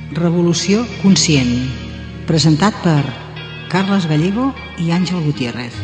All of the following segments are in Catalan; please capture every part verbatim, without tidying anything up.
Revolució conscient, presentat per Carles Gallego i Àngel Gutiérrez.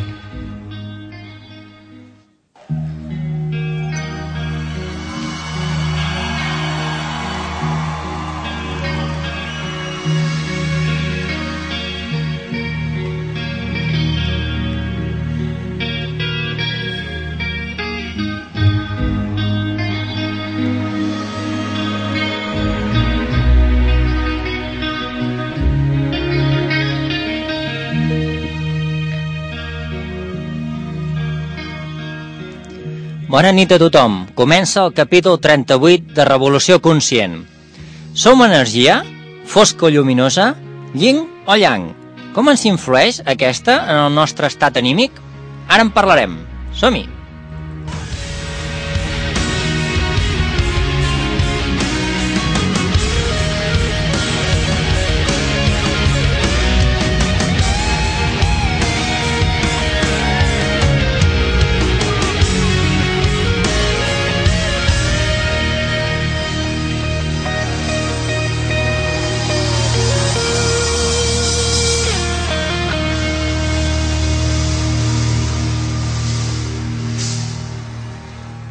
Bona nit a tothom. Comença el capítol trenta-vuit de Revolució Conscient. Som energia? Fosca o lluminosa? Yin o yang? Com ens influeix aquesta en el nostre estat anímic? Ara en parlarem. Som-hi!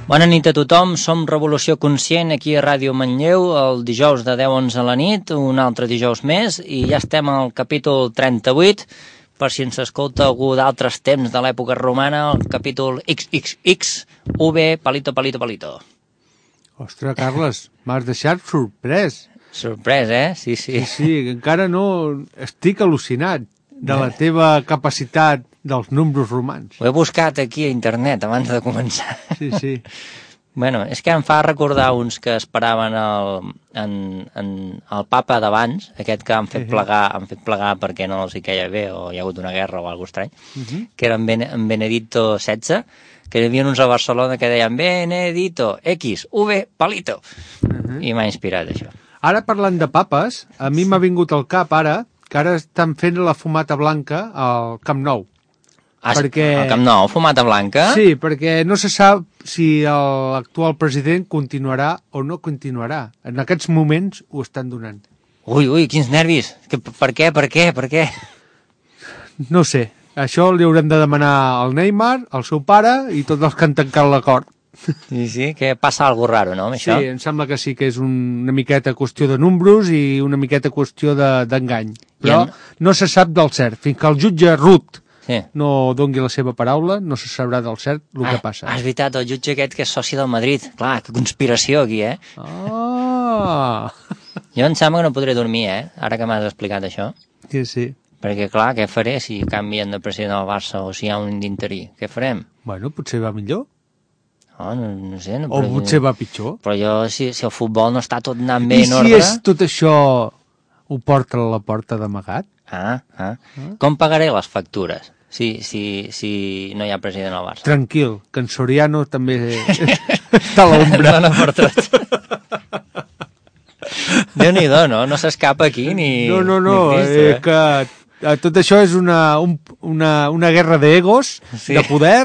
Bona nit a tothom, som Revolució Conscient aquí a Ràdio Manlleu el dijous de deu a onze a la nit, un altre dijous més, i ja estem al capítol trenta-vuit, per si ens escolta algú d'altres temps de l'època romana, el capítol ics ics ics, U V, palito, palito, palito. Ostres, Carles, m'has deixat sorprès. Sorprès, eh? Sí, sí. Sí, sí, encara no... Estic al·lucinat de la teva capacitat dels números romans. Ho he buscat aquí a internet abans de començar. Sí, sí. Bueno, és que em fa recordar uns que esperaven el, en, en, el papa d'abans, aquest que han fet plegar, han fet plegar perquè no els hi queia bé o hi ha hagut una guerra o alguna cosa estrany, uh-huh. que era en, ben, en Benedicto setze, que hi havia uns a Barcelona que deien Benedito, X, V, palito. Uh-huh. I m'ha inspirat això. Ara parlant de papes, a mi m'ha vingut al cap ara que ara estan fent la fumata blanca al Camp Nou. Ah, perquè... El Camp Nou, fumata blanca? Sí, perquè no se sap si l'actual president continuarà o no continuarà. En aquests moments ho estan donant. Ui, ui, quins nervis. Que, per què, per què, per què? No sé. Això li haurem de demanar al Neymar, al seu pare i tots els que han tancat l'acord. Sí, sí, que passa alguna raro, no, amb això? Sí, em sembla que sí, que és una miqueta qüestió de números i una miqueta qüestió d'engany. De, Però en... no se sap del cert. Fins que el jutge Ruth sí. no dongui la seva paraula, no se sabrà del cert el ah, que passa. Ah, és veritat, el jutge aquest que és soci del Madrid. Clar, que conspiració aquí, eh? Ah! Jo em sembla que no podré dormir, eh? Ara que m'has explicat això. Sí, sí. Perquè, clar, què faré si canvien de president del Barça o si hi ha un d'interí? Què farem? Bueno, potser va millor. Oh, no, no sé. No, o però, potser va pitjor. Però jo, si, si el futbol no està tot anant bé I en si ordre... és tot això ho porta a la porta d'amagat? Ah, ah, ah. Com pagaré les factures si, si, si no hi ha president al Barça? Tranquil, que en Soriano també està a l'ombra. Dona per tot. Déu-n'hi-do, no? No s'escapa aquí ni... No, no, no, ni Cristo, eh, que... Tot això és una, un, una, una guerra d'egos, sí. de poder,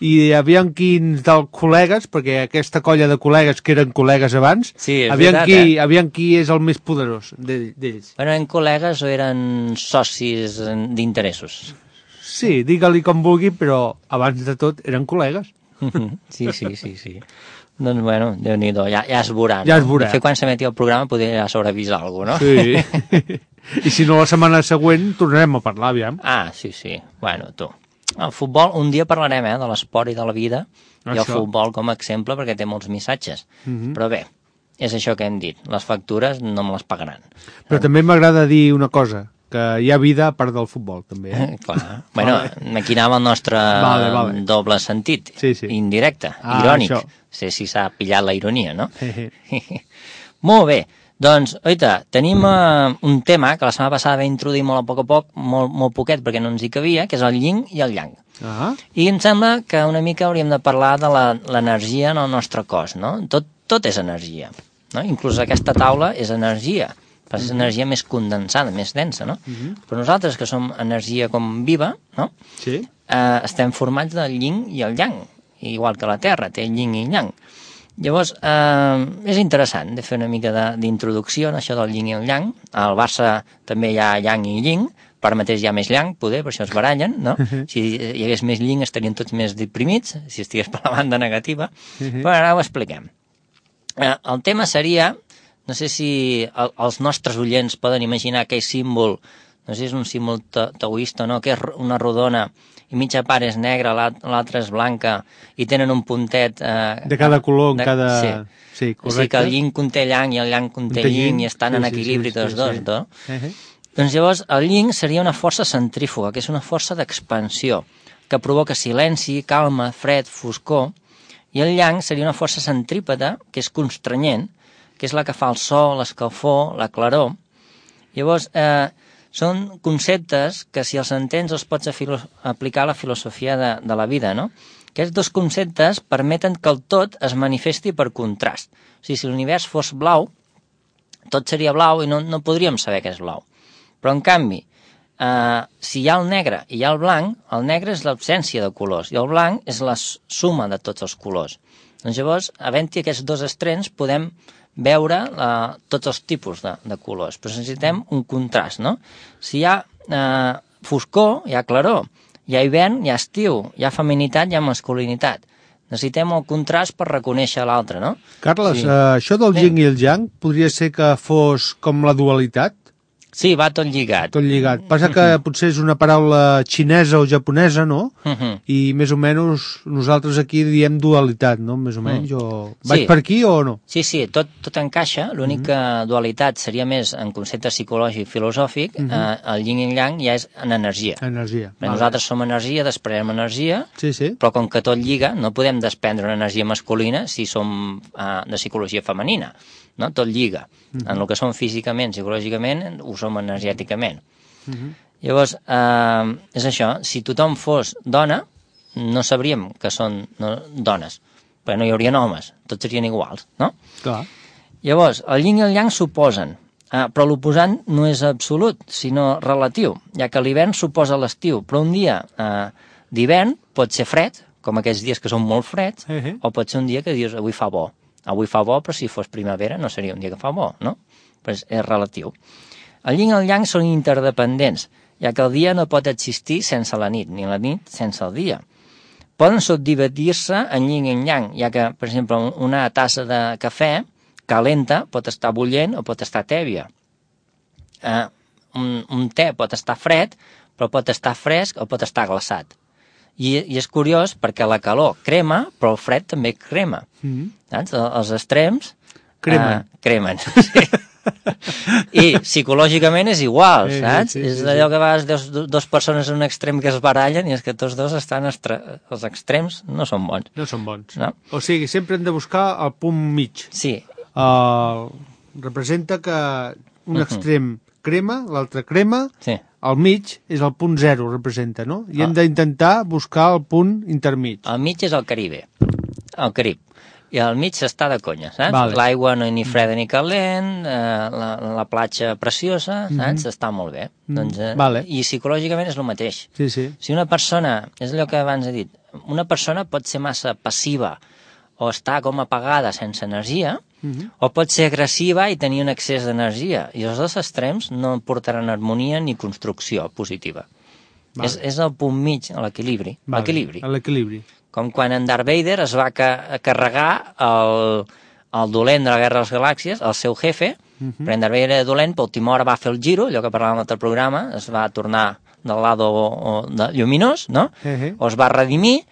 i aviam quins dels col·legues, perquè aquesta colla de col·legues que eren col·legues abans, sí, aviam, veritat, qui, eh? aviam qui és el més poderós d'ells. Bueno, eren col·legues o eren socis d'interessos? Sí, digue-li com vulgui, però abans de tot eren col·legues. Sí, sí, sí, sí. Doncs, bueno, Déu-n'hi-do, ja, ja es veurà. No? Ja es veurà. De fet, quan s'emeti el programa podria ja sobrevisar alguna cosa, no? Sí. I si no, la setmana següent tornarem a parlar, aviam. Ah, sí, sí. Bueno, tu. El futbol, un dia parlarem, eh, de l'esport i de la vida, això. I el futbol com a exemple, perquè té molts missatges. Uh-huh. Però bé, és això que hem dit. Les factures no me les pagaran. Però eh? també m'agrada dir una cosa, que hi ha vida a part del futbol, també. Eh? Clar. Bueno, vale. Aquí anava el nostre vale, vale. doble sentit, sí, sí. indirecte, ah, irònic. Això. Sé si s'ha pillat la ironia, no? Molt bé. Doncs, oita, tenim uh, un tema que la setmana passada vam introduir molt a poc a poc, molt, molt poquet perquè no ens hi cabia, que és el yin i el yang. Ah. I em sembla que una mica hauríem de parlar de l'energia en el nostre cos, no? Tot, tot és energia, no? Inclús aquesta taula és energia, però és energia més condensada, més densa, no? Uh-huh. Però nosaltres, que som energia com viva, no? Sí. Eh, estem formats del yin i el yang, igual que la Terra, té yin i yang. Llavors, eh, és interessant de fer una mica d'introducció en això del yin i el yang. Al Barça també hi ha yang i yin, per mateix hi ha més yang, poder, per això es barallen, no? Si hi hagués més yin estarien tots més deprimits, si estigués per la banda negativa, però ara ho expliquem. Eh, el tema seria, no sé si el, els nostres oients poden imaginar aquell símbol, no sé si és un símbol taoista o no, que és una rodona i mitja part és negra, l'altra és blanca, i tenen un puntet... Eh, de cada color, en de, cada... Sí. Sí, correcte. O sigui que el yin conté yang i el yang conté yin i estan sí, en equilibri sí, sí, tots sí, dos, sí. no? Uh -huh. Doncs llavors el yin seria una força centrífuga, que és una força d'expansió, que provoca silenci, calma, fred, foscor, i el yang seria una força centrípeta, que és constrenyent, que és la que fa el so, l'escalfor, la claror. Llavors, eh, són conceptes que si els entens els pots aplicar a la filosofia de, de la vida, no? Aquests dos conceptes permeten que el tot es manifesti per contrast. O sigui, si l'univers fos blau, tot seria blau i no, no podríem saber què és blau. Però, en canvi, eh, si hi ha el negre i hi ha el blanc, el negre és l'absència de colors i el blanc és la suma de tots els colors. Doncs llavors, havent-hi aquests dos extrems, podem veure eh, tots els tipus de, de colors, però necessitem un contrast, no? Si hi ha eh, foscor, hi ha claror, hi ha hivern, hi ha estiu, hi ha feminitat, hi ha masculinitat. Necessitem el contrast per reconèixer l'altre, no? Carles, sí. eh, això del yin i el yang podria ser que fos com la dualitat? Sí, va tot lligat. Tot lligat. Passa que uh-huh. potser és una paraula xinesa o japonesa, no? Uh-huh. I més o menys nosaltres aquí diem dualitat, no? Més o menys. Uh-huh. O... Vaig sí. per aquí o no? Sí, sí, tot, tot encaixa. L'única uh-huh. dualitat seria més en concepte psicològic i filosòfic. Uh-huh. eh, el yin i el yang ja és en energia. Energia. Vale. Nosaltres som energia, desprenem energia, sí, sí. però com que tot lliga, no podem desprendre una energia masculina si som eh, de psicologia femenina. No? Tot lliga. Uh-huh. En el que som físicament, psicològicament, ho som energèticament. Uh-huh. Llavors, eh, és això, si tothom fos dona, no sabríem que són no, dones, perquè no hi haurien homes, tots serien iguals, no? Clar. Llavors, el yin i el yang s'oposen, eh, però l'oposant no és absolut, sinó relatiu, ja que l'hivern suposa l'estiu, però un dia eh, d'hivern pot ser fred, com aquests dies que són molt freds, uh-huh. o pot ser un dia que dius, avui fa bo. Avui fa bo, però si fos primavera no seria un dia que fa bo, no? Però és, és relatiu. El yin i el yang són interdependents, ja que el dia no pot existir sense la nit, ni la nit sense el dia. Poden subdividir-se en yin i en yang, ja que, per exemple, una tassa de cafè calenta pot estar bullent o pot estar tèbia. Eh, un, un te pot estar fred, però pot estar fresc o pot estar glaçat. I, i és curiós perquè la calor crema, però el fred també crema. Mm-hmm. Saps? Els extrems cremen. Uh, cremen. Sí. I psicològicament és igual, sí, saps? Sí, sí, és sí, allò sí. que vas dues, dues persones en un extrem que es barallen i és que tots dos estan... Estre... Els extrems no són bons. No són bons. No? O sigui, sempre hem de buscar el punt mig. Sí. Uh, representa que un uh-huh. extrem crema, l'altre crema... Sí. Al mig és el punt zero, representa, no? I hem d'intentar buscar el punt intermig. El mig és el Caribe, el Carib. I al mig s'està de conya, saps? Vale. L'aigua no és ni freda ni calent, eh, la, la platja preciosa, saps? Mm-hmm. Està molt bé. Mm-hmm. Doncs, eh, vale. I psicològicament és el mateix. Sí, sí. Si una persona, és allò que abans he dit, una persona pot ser massa passiva o estar com apagada sense energia, mm-hmm. o pot ser agressiva i tenir un excés d'energia. I els dos extrems no portaran harmonia ni construcció positiva. Vale. És, és el punt mig, l'equilibri. Vale. L'equilibri. L'equilibri. Com quan en Darth Vader es va ca carregar el, el dolent de la Guerra de les Galàxies, el seu jefe, mm-hmm. però en Darth Vader era dolent, però última hora va fer el giro, allò que parlàvem en l'altre programa, es va tornar del lado de lluminós, no? Uh-huh. O es va redimir,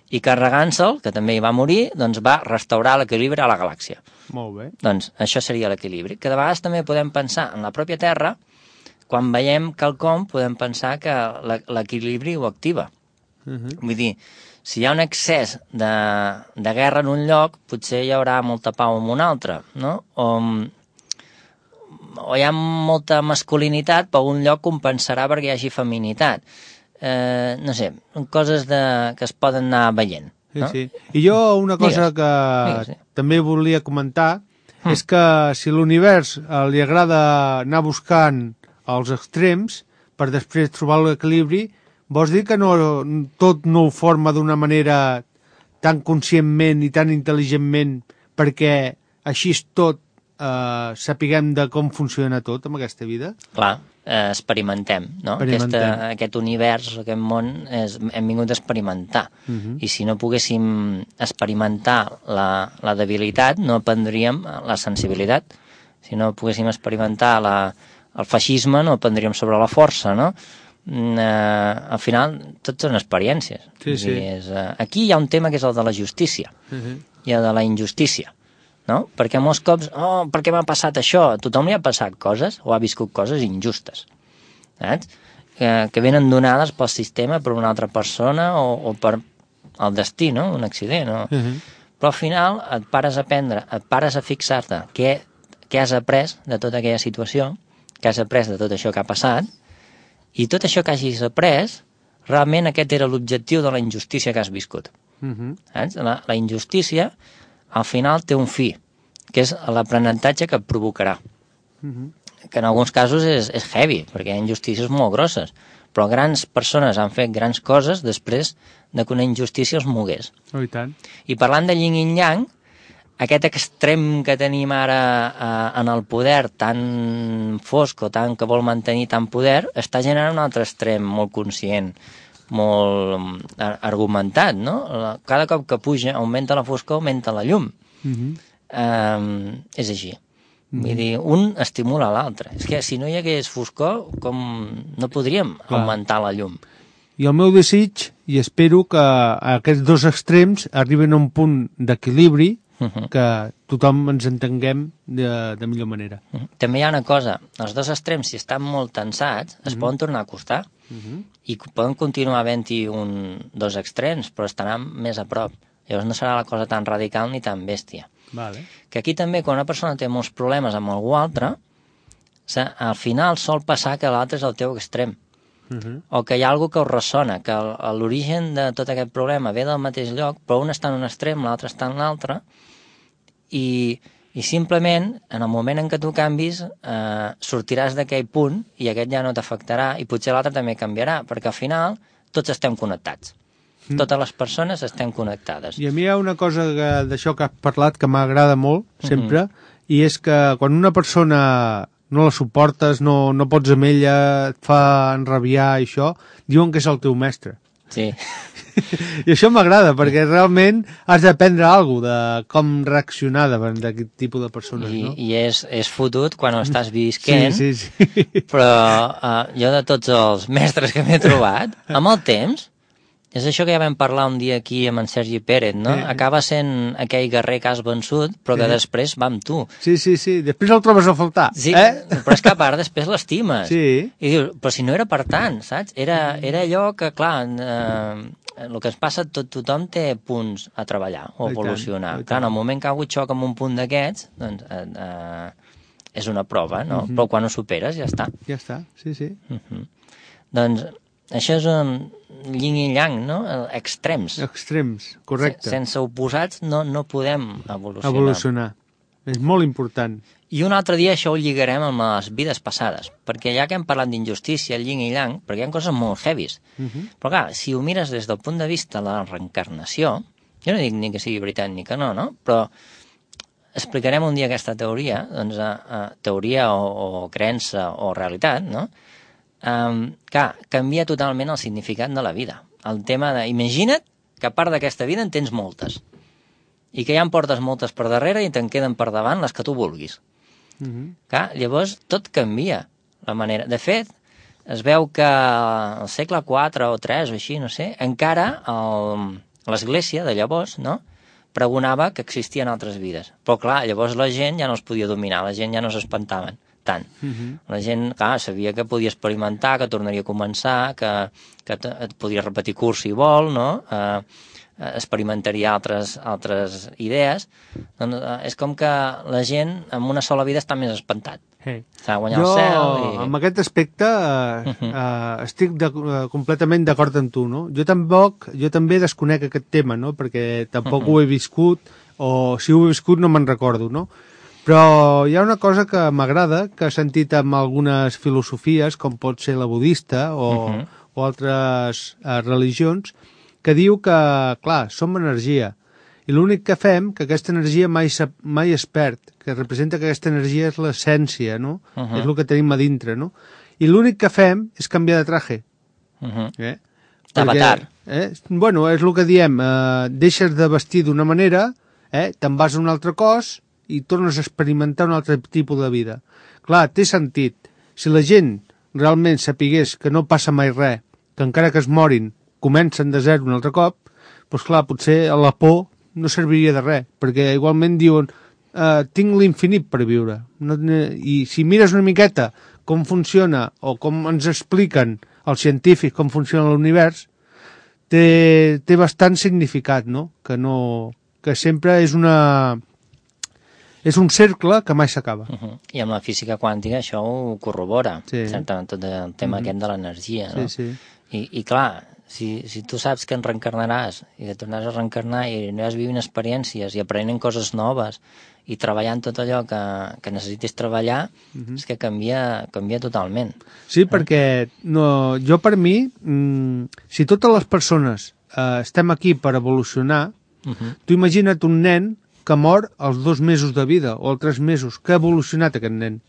i carregant-se'l, que també hi va morir, doncs va restaurar l'equilibri a la galàxia. Molt bé. Doncs això seria l'equilibri. Que de vegades també podem pensar en la pròpia Terra, quan veiem quelcom podem pensar que l'equilibri ho activa. Uh-huh. Vull dir, si hi ha un excés de, de guerra en un lloc, potser hi haurà molta pau en un altre, no? O, o hi ha molta masculinitat, però un lloc compensarà perquè hi hagi feminitat. Eh, no sé, coses de, que es poden anar veient. No? Sí, sí. I jo una cosa digues, que digues, sí. també volia comentar mm. és que si l'univers eh, li agrada anar buscant els extrems per després trobar l'equilibri, vols dir que no, tot no ho forma d'una manera tan conscientment i tan intel·ligentment perquè així és tot, eh, sapiguem de com funciona tot en aquesta vida? Clar, eh, experimentem, no? Experimentem. Aquesta, aquest univers, aquest món, és, hem vingut a experimentar. Uh -huh. I si no poguéssim experimentar la, la debilitat, no aprendríem la sensibilitat. Si no poguéssim experimentar la, el feixisme, no aprendríem sobre la força, no? Eh, al final, tot són experiències. Sí, sí. I és, eh, aquí hi ha un tema que és el de la justícia, uh -huh. i el de la injustícia. No? Perquè molts cops, oh, per què m'ha passat això? A tothom li ha passat coses, o ha viscut coses injustes, saps? Que, que venen donades pel sistema, per una altra persona, o, o per el destí, no? Un accident, no? Uh -huh. Però al final et pares a aprendre, et pares a fixar-te què, què has après de tota aquella situació, què has après de tot això que ha passat, i tot això que hagis après, realment aquest era l'objectiu de la injustícia que has viscut. Uh -huh. Saps? La, la injustícia al final té un fi, que és l'aprenentatge que et provocarà. Uh-huh. Que en alguns casos és, és heavy, perquè hi ha injustícies molt grosses, però grans persones han fet grans coses després de que una injustícia els mogués. Oh, i tant. I parlant de yin i yang, aquest extrem que tenim ara eh, en el poder tan fosc o tan que vol mantenir tant poder, està generant un altre extrem molt conscient, molt argumentat, no? Cada cop que puja, augmenta la foscor, augmenta la llum. Uh-huh. um, és així. Uh-huh. Vull dir, un estimula l'altre. És que si no hi hagués foscor, com no podríem Clar. augmentar la llum. I el meu desig, i espero que aquests dos extrems arriben a un punt d'equilibri, uh-huh. que tothom ens entenguem de, de millor manera. Uh-huh. També hi ha una cosa, els dos extrems, si estan molt tensats, es uh-huh. poden tornar a acostar. Uh-huh. I poden continuar havent-hi un, dos extrems, però estaran més a prop. Llavors no serà la cosa tan radical ni tan bèstia. Vale. Que aquí també, quan una persona té molts problemes amb algú altre, al final sol passar que l'altre és el teu extrem. Uh-huh. O que hi ha algú que us ressona, que l'origen de tot aquest problema ve del mateix lloc, però un està en un extrem, l'altre està en l'altre, i... i simplement, en el moment en què tu canvis, eh, sortiràs d'aquell punt i aquest ja no t'afectarà i potser l'altre també canviarà, perquè al final tots estem connectats. Mm. Totes les persones estem connectades. I a mi hi ha una cosa d'això que has parlat que m'agrada molt, sempre, mm-hmm. i és que quan una persona no la suportes, no, no pots amb ella, et fa enrabiar i això, diuen que és el teu mestre. Sí. I això m'agrada, perquè realment has d'aprendre alguna cosa de com reaccionar davant d'aquest tipus de persones, I, no? I és, és fotut quan ho estàs visquent, sí, sí, sí. però uh, jo de tots els mestres que m'he trobat, amb el temps, és això que ja vam parlar un dia aquí amb en Sergi Pérez, no? Sí. Acaba sent aquell guerrer que has vençut, però que sí. després va amb tu. Sí, sí, sí, després el trobes a faltar. Sí, eh? però és que a part després l'estimes. Sí. I dius, però si no era per tant, saps? Era, era allò que, clar, eh, el que ens passa, tot, tothom té punts a treballar o a evolucionar. Clar, en el moment que ha hagut xoc amb un punt d'aquests, doncs eh, eh, és una prova, no? Uh-huh. Però quan ho superes ja està. Ja està, sí, sí. Uh-huh. Doncs això és un yin i yang, no? Extrems. Extrems, correcte. Sense oposats no, no podem evolucionar. Evolucionar. És molt important. I un altre dia això ho lligarem amb les vides passades, perquè ja que hem parlat d'injustícia, el yin i yang, perquè hi ha coses molt heavies. Uh-huh. Però clar, si ho mires des del punt de vista de la reencarnació, jo no dic ni que sigui veritat ni que no, no? Però explicarem un dia aquesta teoria, doncs, a, a teoria o, o creença o realitat, no? Um, clar, canvia totalment el significat de la vida. El tema de... Imagina't que a part d'aquesta vida en tens moltes i que ja en portes moltes per darrere i te'n queden per davant les que tu vulguis. Uh-huh. Clar, llavors tot canvia la manera. De fet, es veu que al segle quatre o tres o així, no sé, encara l'Església de llavors, no?, pregonava que existien altres vides. Però clar, llavors la gent ja no es podia dominar, la gent ja no s'espantaven tant. Uh-huh. La gent, clar, sabia que podia experimentar, que tornaria a començar, que, que et podia repetir curs si vol, no?, eh, experimentaria altres, altres idees. Doncs, eh, és com que la gent en una sola vida està més espantat. Hey. S'ha guanyat jo, el cel i... amb aquest aspecte uh, uh-huh. uh, estic de, uh, completament d'acord amb tu, no? Jo tampoc, jo també desconec aquest tema, no? Perquè tampoc uh-huh. ho he viscut, o si ho he viscut no me'n recordo, no? Però hi ha una cosa que m'agrada, que he sentit amb algunes filosofies, com pot ser la budista o, uh-huh. o altres uh, religions, que diu que, clar, som energia, I l'únic que fem, que aquesta energia mai, mai es perd, que representa que aquesta energia és l'essència, no? Uh -huh. És el que tenim a dintre, no? I l'únic que fem és canviar de traje. Uh -huh. eh? D'avatar. Eh? Bueno, és el que diem, eh, deixes de vestir d'una manera, eh? Te'n vas a un altre cos i tornes a experimentar un altre tipus de vida. Clar, té sentit. Si la gent realment sapigués que no passa mai res, que encara que es morin, comencen de zero un altre cop, doncs clar, potser la por no serviria de res, perquè igualment diuen eh, tinc l'infinit per viure. No, I si mires una miqueta com funciona, o com ens expliquen els científics com funciona l'univers, té, té bastant significat, no? Que no... que sempre és una... és un cercle que mai s'acaba. Uh -huh. I amb la física quàntica això ho corrobora, sí. certament, tot el tema uh -huh. aquest de l'energia, no? Sí, sí. I, i clar, si, si tu saps que en reencarnaràs i que tornaràs a reencarnar i aniràs vivint experiències i aprenent coses noves i treballant tot allò que, que necessitis treballar, uh -huh. és que canvia, canvia totalment. Sí, eh? perquè no, jo per mi, mmm, si totes les persones eh, estem aquí per evolucionar, uh -huh. tu imagina't un nen que mor als dos mesos de vida o als tres mesos, que ha evolucionat aquest nen.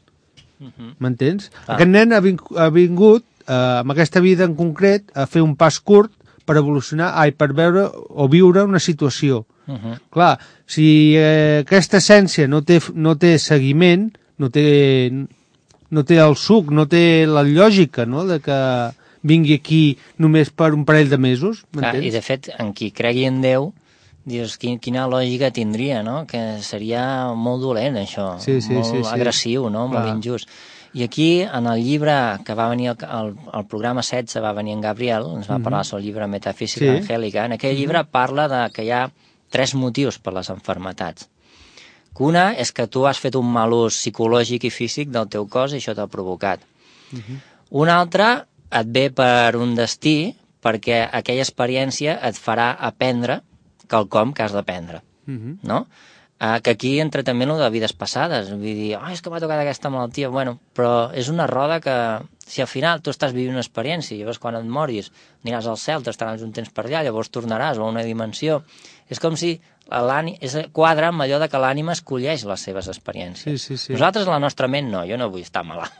M'entens? Uh -huh. ah. Aquest nen ha, ving ha vingut eh, amb aquesta vida en concret a fer un pas curt per evolucionar, ai, per veure o viure una situació. Uh -huh. Clar, si eh, aquesta essència no té, no té seguiment, no té, no té el suc, no té la lògica, no?, de que vingui aquí només per un parell de mesos, m'entens? I de fet, en qui cregui en Déu, dius, quin, quina lògica tindria, no?, que seria molt dolent, això, sí, sí, molt sí, sí. agressiu, no?, molt Clar. injust. I aquí, en el llibre que va venir, el, el programa setze va venir en Gabriel, ens va uh -huh. parlar sobre el llibre Metafísica sí. Angélica, en aquell uh -huh. llibre parla de que hi ha tres motius per les enfermetats. Una és que tu has fet un mal ús psicològic i físic del teu cos i això t'ha provocat. Uh -huh. Un altre et ve per un destí, perquè aquella experiència et farà aprendre quelcom que has d'aprendre, uh -huh. no? Uh, que aquí entra també el de vides passades, vull dir, oh, és que m'ha tocat aquesta malaltia, bueno, però és una roda que, si al final tu estàs vivint una experiència, llavors quan et moris aniràs al cel, t'estaràs un temps per allà, llavors tornaràs a una dimensió, és com si és quadre amb allò de que l'ànima escolleix les seves experiències. Sí, sí, sí. Nosaltres, la nostra ment, no, jo no vull estar malalt,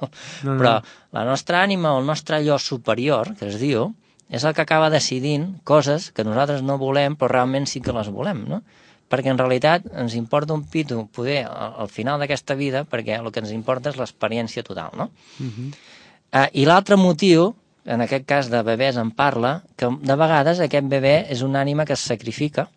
no, però no. La nostra ànima o el nostre jo superior, que es diu, és el que acaba decidint coses que nosaltres no volem, però realment sí que les volem, no? Perquè en realitat ens importa un pito poder al final d'aquesta vida, perquè el que ens importa és l'experiència total, no? Uh -huh. uh, I l'altre motiu, en aquest cas de bebès en parla, que de vegades aquest bebè és una ànima que es sacrifica,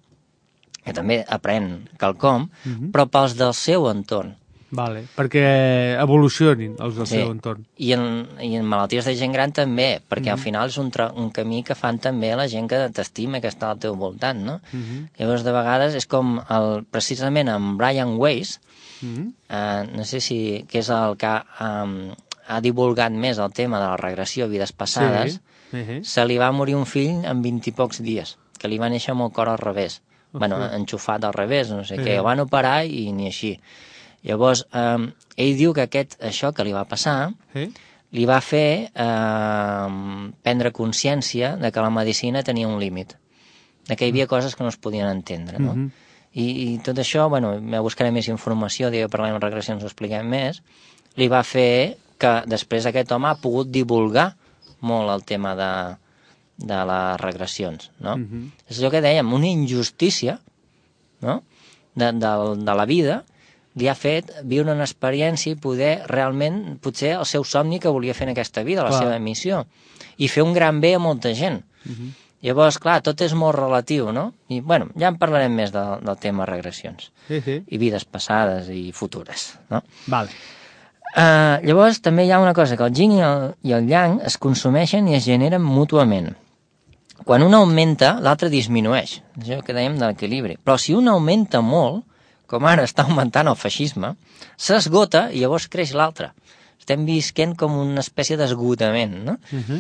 que també aprèn quelcom, uh -huh. però pels del seu entorn. Vale, perquè evolucionin els del sí. seu entorn. I en, i en malalties de gent gran també, perquè uh -huh. al final és un, un camí que fan també la gent que t'estima, que està al teu voltant, no? Uh -huh. Llavors, de vegades, és com el, precisament en Brian Weiss, uh -huh. eh, no sé si, que és el que um, ha divulgat més el tema de la regressió a vides passades, sí. uh -huh. se li va morir un fill en vint i pocs dies, que li va néixer amb el cor al revés. Uh -huh. Bueno, enxufat al revés, no sé uh -huh. què, el van operar i ni així. Llavors, eh, ell diu que aquest, això que li va passar sí? li va fer eh, prendre consciència de que la medicina tenia un límit, de que hi havia coses que no es podien entendre, no? Uh-huh. I, I tot això, bueno, me buscaré més informació, digue, parlem de regressions, ho expliquem més, li va fer que després aquest home ha pogut divulgar molt el tema de, de les regressions, no? Uh-huh. És allò que dèiem, una injustícia, no?, de, de, de la vida, li ha fet viure una experiència i poder realment, potser el seu somni que volia fer en aquesta vida, la clar. seva missió, i fer un gran bé a molta gent. Uh-huh. Llavors, clar, tot és molt relatiu, no? I, bueno, ja en parlarem més de, del tema regressions. Sí, sí. I vides passades i futures, no? Vale. Uh, llavors, també hi ha una cosa, que el yin i el, i el yang es consumeixen i es generen mútuament. Quan un augmenta, l'altre disminueix. És allò que dèiem de l'equilibri. Però si un augmenta molt, com ara està augmentant el feixisme, s'esgota i llavors creix l'altre. Estem visquent com una espècie d'esgotament, no? Uh-huh.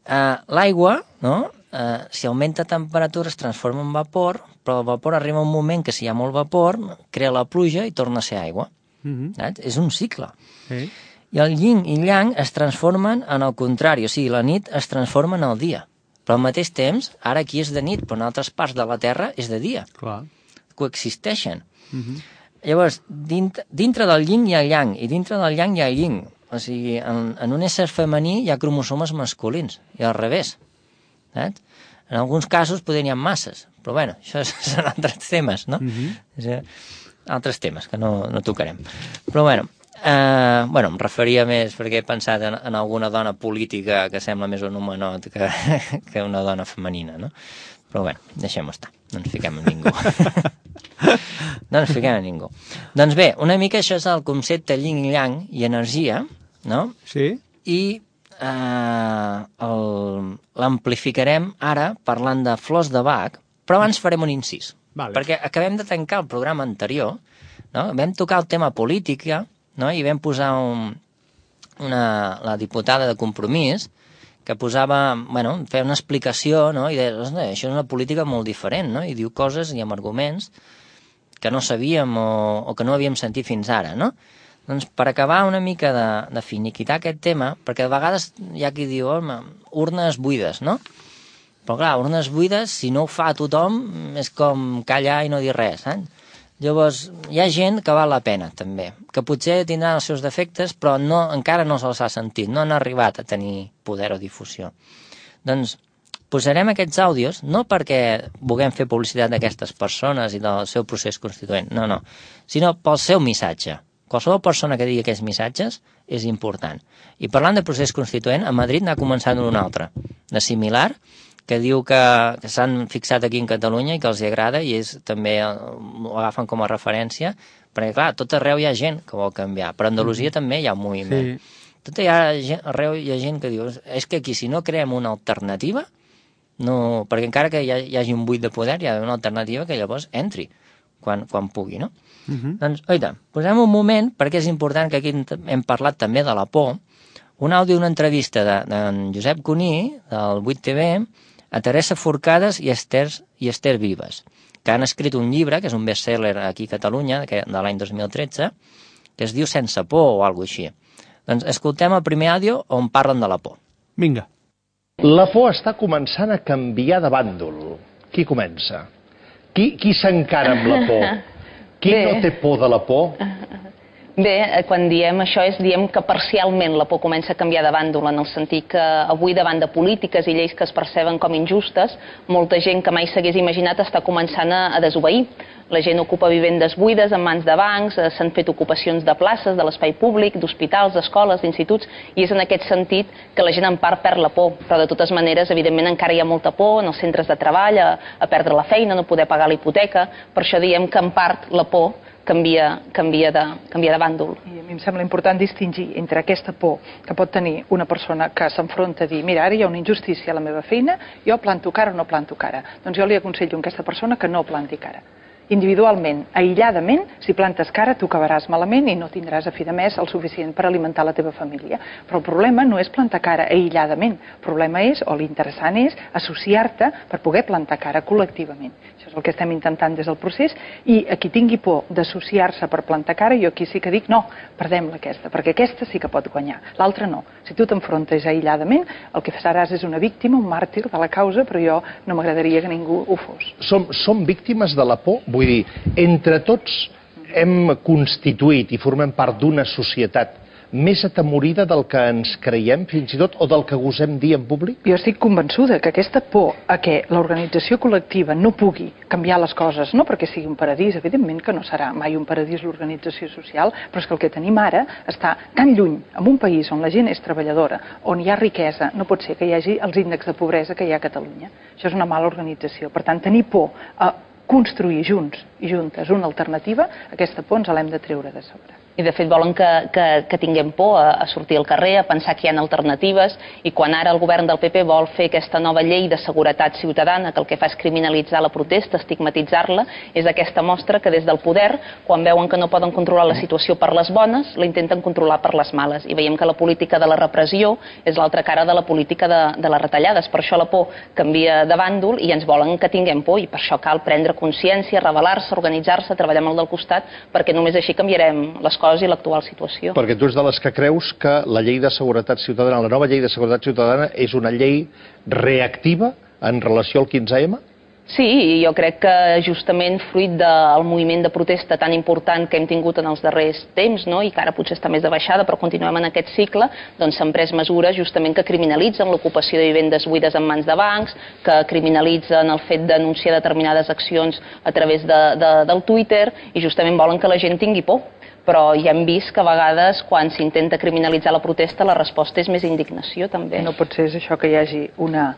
uh, L'aigua, no?, uh, si augmenta temperatura es transforma en vapor, però el vapor arriba a un moment que si hi ha molt vapor, crea la pluja i torna a ser aigua. Uh-huh. És un cicle. Uh-huh. I el yin i yang es transformen en el contrari, o sigui, la nit es transforma en el dia. Però al mateix temps, ara aquí és de nit, però en altres parts de la Terra és de dia. Clar. coexisteixen. Uh-huh. Llavors, dintre, dintre del yin hi ha yang, i dintre del yang hi ha yin. O sigui, en, en un ésser femení hi ha cromosomes masculins, i al revés. Saps? En alguns casos poder n'hi ha masses, però bueno, això són altres temes, no? Uh-huh. Altres temes que no, no tocarem. Però bueno, eh, bueno, em referia més perquè he pensat en, en alguna dona política que sembla més un homenot que, que una dona femenina, no? Però bueno, deixem-ho estar, no ens fiquem en ningú. No ens fiquem en ningú. Doncs bé, una mica això és el concepte yin i yang i energia, no? Sí. I eh, l'amplificarem ara parlant de flors de Bach, però abans farem un incís. Vale. Perquè acabem de tancar el programa anterior, no? Vam tocar el tema política, no? I vam posar un, una, la diputada de Compromís, que posava, bueno, feia una explicació, no? I deia, això és una política molt diferent, no? I diu coses i amb arguments que no sabíem o, o que no havíem sentit fins ara, no? Doncs per acabar una mica de, de finiquitar aquest tema, perquè a vegades hi ha qui diu, home, urnes buides, no? Però clar, urnes buides, si no ho fa tothom, és com callar i no dir res, eh? Llavors, hi ha gent que val la pena, també, que potser tindran els seus defectes, però no, encara no se'ls ha sentit, no han arribat a tenir poder o difusió. Doncs posarem aquests àudios, no perquè vulguem fer publicitat d'aquestes persones i del seu procés constituent, no, no, sinó pel seu missatge. Qualsevol persona que digui aquests missatges és important. I parlant de procés constituent, a Madrid n'ha començat un altre, de similar, que diu que, que s'han fixat aquí en Catalunya i que els hi agrada i és, també ho agafen com a referència, perquè clar, tot arreu hi ha gent que vol canviar, però a Andalusia mm. també hi ha un moviment. Sí. Tot hi ha, arreu hi ha gent que diu, és que aquí si no creem una alternativa, no, perquè encara que hi, ha, hi hagi un buit de poder, hi ha una alternativa que llavors entri quan, quan pugui, no? Uh-huh. Doncs, oita, posem un moment, perquè és important que aquí hem parlat també de la por, un àudio d'una entrevista d'en de, de Josep Cuní, del vuit T V, a Teresa Forcades i Esther, i Esther Vives, que han escrit un llibre, que és un best-seller aquí a Catalunya, que, de l'any dos mil tretze, que es diu Sense por o alguna cosa així. Doncs escoltem el primer àudio on parlen de la por. Vinga. La por està començant a canviar de bàndol. Qui comença? Qui, qui s'encara amb la por? Qui Bé. no té por de la por? Bé, quan diem això és diem que parcialment la por comença a canviar de bàndol, en el sentit que avui davant de polítiques i lleis que es perceben com injustes, molta gent que mai s'hagués imaginat està començant a, a desobeir. La gent ocupa vivendes buides en mans de bancs, s'han fet ocupacions de places, de l'espai públic, d'hospitals, d'escoles, d'instituts, i és en aquest sentit que la gent en part perd la por. Però de totes maneres, evidentment, encara hi ha molta por en els centres de treball, a, a perdre la feina, no poder pagar la hipoteca. Per això diem que en part la por canvia, canvia, de, canvia de bàndol. I a mi em sembla important distingir entre aquesta por que pot tenir una persona que s'enfronta a dir mira, ara hi ha una injustícia a la meva feina, jo planto cara o no planto cara. Doncs jo li aconsello a aquesta persona que no planti cara. Individualment, aïlladament, si plantes cara tu acabaràs malament i no tindràs a fi de mes el suficient per alimentar la teva família. Però el problema no és plantar cara aïlladament, el problema és, o l'interessant és, associar-te per poder plantar cara col·lectivament. Això és el que estem intentant des del procés, i a qui tingui por d'associar-se per plantar cara, jo aquí sí que dic no, perdem-la aquesta, perquè aquesta sí que pot guanyar, l'altra no. Si tu t'enfrontes aïlladament, el que seràs és una víctima, un màrtir de la causa, però jo no m'agradaria que ningú ho fos. Som, som víctimes de la por? Vull dir, entre tots hem constituït i formem part d'una societat més atemorida del que ens creiem, fins i tot, o del que gosem dir en públic? Jo estic convençuda que aquesta por a que l'organització col·lectiva no pugui canviar les coses, no perquè sigui un paradís, evidentment que no serà mai un paradís l'organització social, però és que el que tenim ara està tan lluny, en un país on la gent és treballadora, on hi ha riquesa, no pot ser que hi hagi els índexs de pobresa que hi ha a Catalunya. Això és una mala organització. Per tant, tenir por a construir junts i juntes una alternativa, aquesta por ens l'hem de treure de sobre. I de fet volen que, que, que tinguem por a, a sortir al carrer, a pensar que hi ha alternatives, i quan ara el govern del P P vol fer aquesta nova llei de seguretat ciutadana, que el que fa és criminalitzar la protesta, estigmatitzar-la, és aquesta mostra que des del poder, quan veuen que no poden controlar la situació per les bones, la intenten controlar per les males. I veiem que la política de la repressió és l'altra cara de la política de, de les retallades. Per això la por canvia de bàndol i ens volen que tinguem por, i per això cal prendre consciència, rebel·lar-se, organitzar-se, treballar amb el del costat, perquè només així canviarem les coses i l'actual situació. Perquè tu ets de les que creus que la llei de seguretat ciutadana, la nova llei de seguretat ciutadana, és una llei reactiva en relació al quinze ema? Sí, i jo crec que justament fruit del moviment de protesta tan important que hem tingut en els darrers temps, no? I que ara potser està més de baixada, però continuem en aquest cicle, doncs s'han pres mesures justament que criminalitzen l'ocupació de vivendes buides en mans de bancs, que criminalitzen el fet d'anunciar determinades accions a través de, de, del Twitter, i justament volen que la gent tingui por. Però ja hem vist que a vegades quan s'intenta criminalitzar la protesta la resposta és més indignació també. No pot ser això que hi hagi una,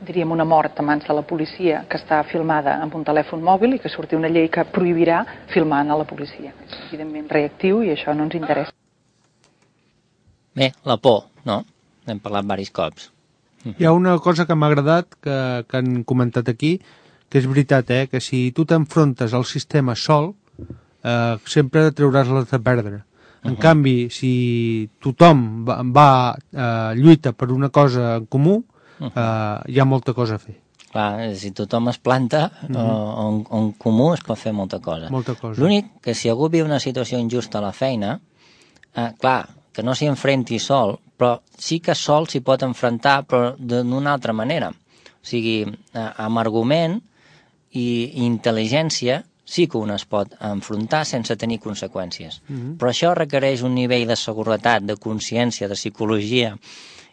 diríem, una mort a mans de la policia que està filmada amb un telèfon mòbil i que surti una llei que prohibirà filmar a la policia. És evidentment reactiu i això no ens interessa. Bé, la por, no? N'hem parlat diversos cops. Hi ha una cosa que m'ha agradat que, que han comentat aquí, que és veritat, eh? Que si tu t'enfrontes al sistema sol, Uh, sempre trauràs les de perdre. En uh -huh. canvi, si tothom va, va uh, lluita per una cosa en comú, uh, hi ha molta cosa a fer. Clar, si tothom es planta, uh -huh. en, en comú es pot fer molta cosa. Molta cosa. L'únic que si algú viu una situació injusta a la feina, uh, clar, que no s'hi enfrenti sol, però sí que sol s'hi pot enfrontar, però d'una altra manera. O sigui, uh, amb argument i, i intel·ligència sí que un es pot enfrontar sense tenir conseqüències. Uh-huh. Però això requereix un nivell de seguretat, de consciència, de psicologia,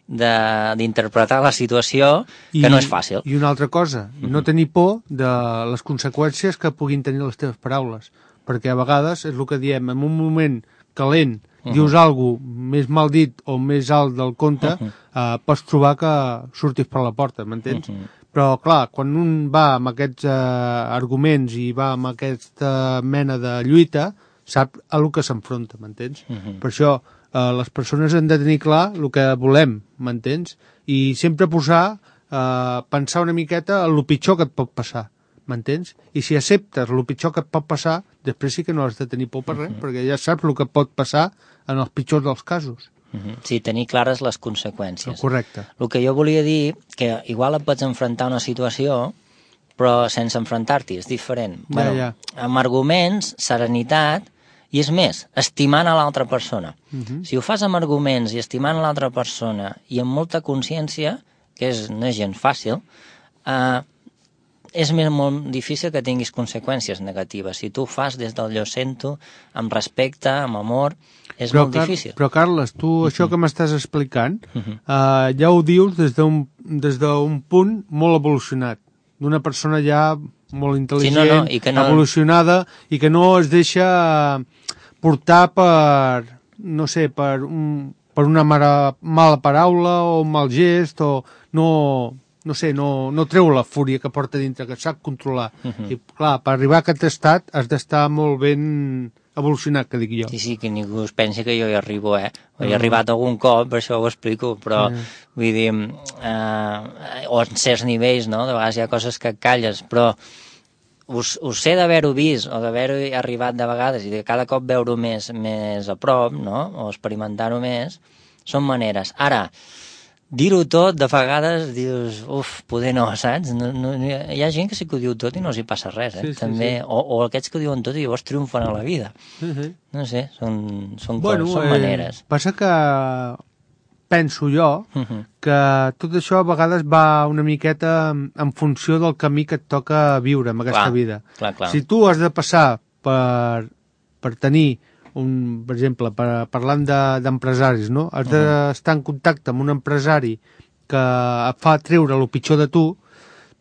d'interpretar la situació, I, que no és fàcil. I una altra cosa, uh-huh. no tenir por de les conseqüències que puguin tenir les teves paraules, perquè a vegades és el que diem, en un moment calent, uh-huh. dius alguna cosa més mal dit o més alt del compte, uh-huh. eh, pots trobar que surtis per la porta, m'entens? Uh-huh. Però, clar, quan un va amb aquests eh, arguments i va amb aquesta mena de lluita, sap a lo que s'enfronta, m'entens? Uh-huh. Per això, eh, les persones han de tenir clar el que volem, m'entens? I sempre posar, eh, pensar una miqueta en el pitjor que et pot passar, m'entens? I si acceptes el pitjor que et pot passar, després sí que no has de tenir por per res, uh-huh. perquè ja saps el que pot passar en els pitjors dels casos. Uh-huh. Sí, tenir clares les conseqüències. Correcte. El que jo volia dir, que igual et pots enfrontar a una situació, però sense enfrontar-t'hi, és diferent. Ja, bueno, ja. Amb arguments, serenitat, i és més, estimant a l'altra persona. Uh-huh. Si ho fas amb arguments i estimant a l'altra persona i amb molta consciència, que és, no és gens fàcil, eh, és més molt difícil que tinguis conseqüències negatives. Si tu ho fas des del jo sento, amb respecte, amb amor, és però, molt difícil. Però, Carles, tu uh-huh. això que m'estàs explicant, uh-huh. uh, ja ho dius des d'un des d'un punt molt evolucionat, d'una persona ja molt intel·ligent, sí, no, no, i que no... evolucionada, i que no es deixa portar per, no sé, per, un, per una mala, mala paraula o un mal gest, o no... no sé, no, no treu la fúria que porta dintre, que sap controlar. Uh-huh. I, clar, per arribar a aquest estat has d'estar molt ben evolucionat, que dic jo. Sí, sí, que ningú es pensi que jo hi arribo, eh? He uh-huh. arribat algun cop, per això ho explico, però, uh-huh. vull dir, eh, o en certs nivells, no? De vegades hi ha coses que calles, però us, us sé d'haver-ho vist, o d'haver-ho arribat de vegades, i de cada cop veure-ho més, més a prop, no? O experimentar-ho més, són maneres. Ara, dir-ho tot, de vegades dius, uf, poder no, saps? No, no, hi ha gent que sí que ho diu tot i no s'hi passa res, eh? Sí, sí, també, sí. O, o aquests que ho diuen tot i llavors triomfen a la vida. Uh-huh. No sé, són, són, bueno, coses, són eh, maneres. Passa que penso jo uh-huh. que tot això a vegades va una miqueta en funció del camí que et toca viure en aquesta clar, vida. Clar, clar. Si tu has de passar per, per tenir un, per exemple, per, parlant d'empresaris, no? Has uh-huh. d'estar en contacte amb un empresari que et fa treure el pitjor de tu,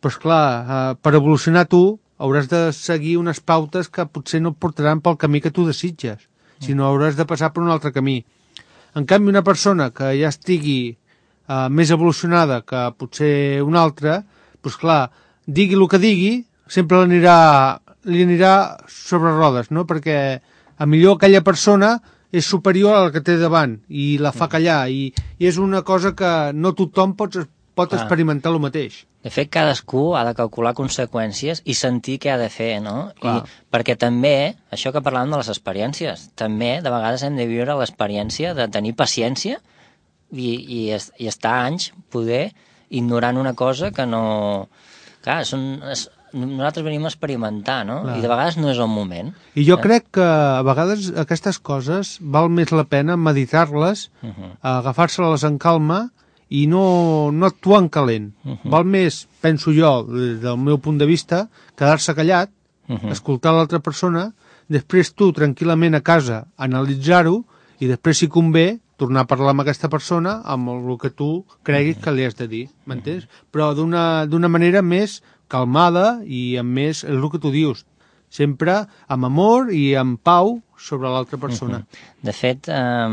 doncs clar, eh, per evolucionar tu hauràs de seguir unes pautes que potser no et portaran pel camí que tu desitges, uh-huh. sinó hauràs de passar per un altre camí. En canvi, una persona que ja estigui eh, més evolucionada que potser una altra, doncs clar, digui el que digui, sempre l'anirà li anirà sobre rodes, no? Perquè a millor aquella persona és superior a la que té davant i la fa callar, i, i és una cosa que no tothom pot, pot ah. experimentar el mateix. De fet, cadascú ha de calcular conseqüències i sentir què ha de fer, no? I, perquè també, això que parlàvem de les experiències, també de vegades hem de viure l'experiència de tenir paciència i, i, i estar anys, poder, ignorant una cosa que no... Clar, són... nosaltres venim a experimentar, no? Clar. I de vegades no és el moment. I jo eh? crec que a vegades aquestes coses val més la pena meditar-les, uh-huh. agafar-se-les en calma i no, no actuar en calent. Uh -huh. Val més, penso jo, des del meu punt de vista, quedar-se callat, uh -huh. escoltar l'altra persona, després tu, tranquil·lament a casa, analitzar-ho, i després, si convé, tornar a parlar amb aquesta persona amb el que tu creguis que li has de dir, m'entens? Però d'una manera més calmada i amb més, és el que tu dius, sempre amb amor i amb pau sobre l'altra persona. De fet, eh,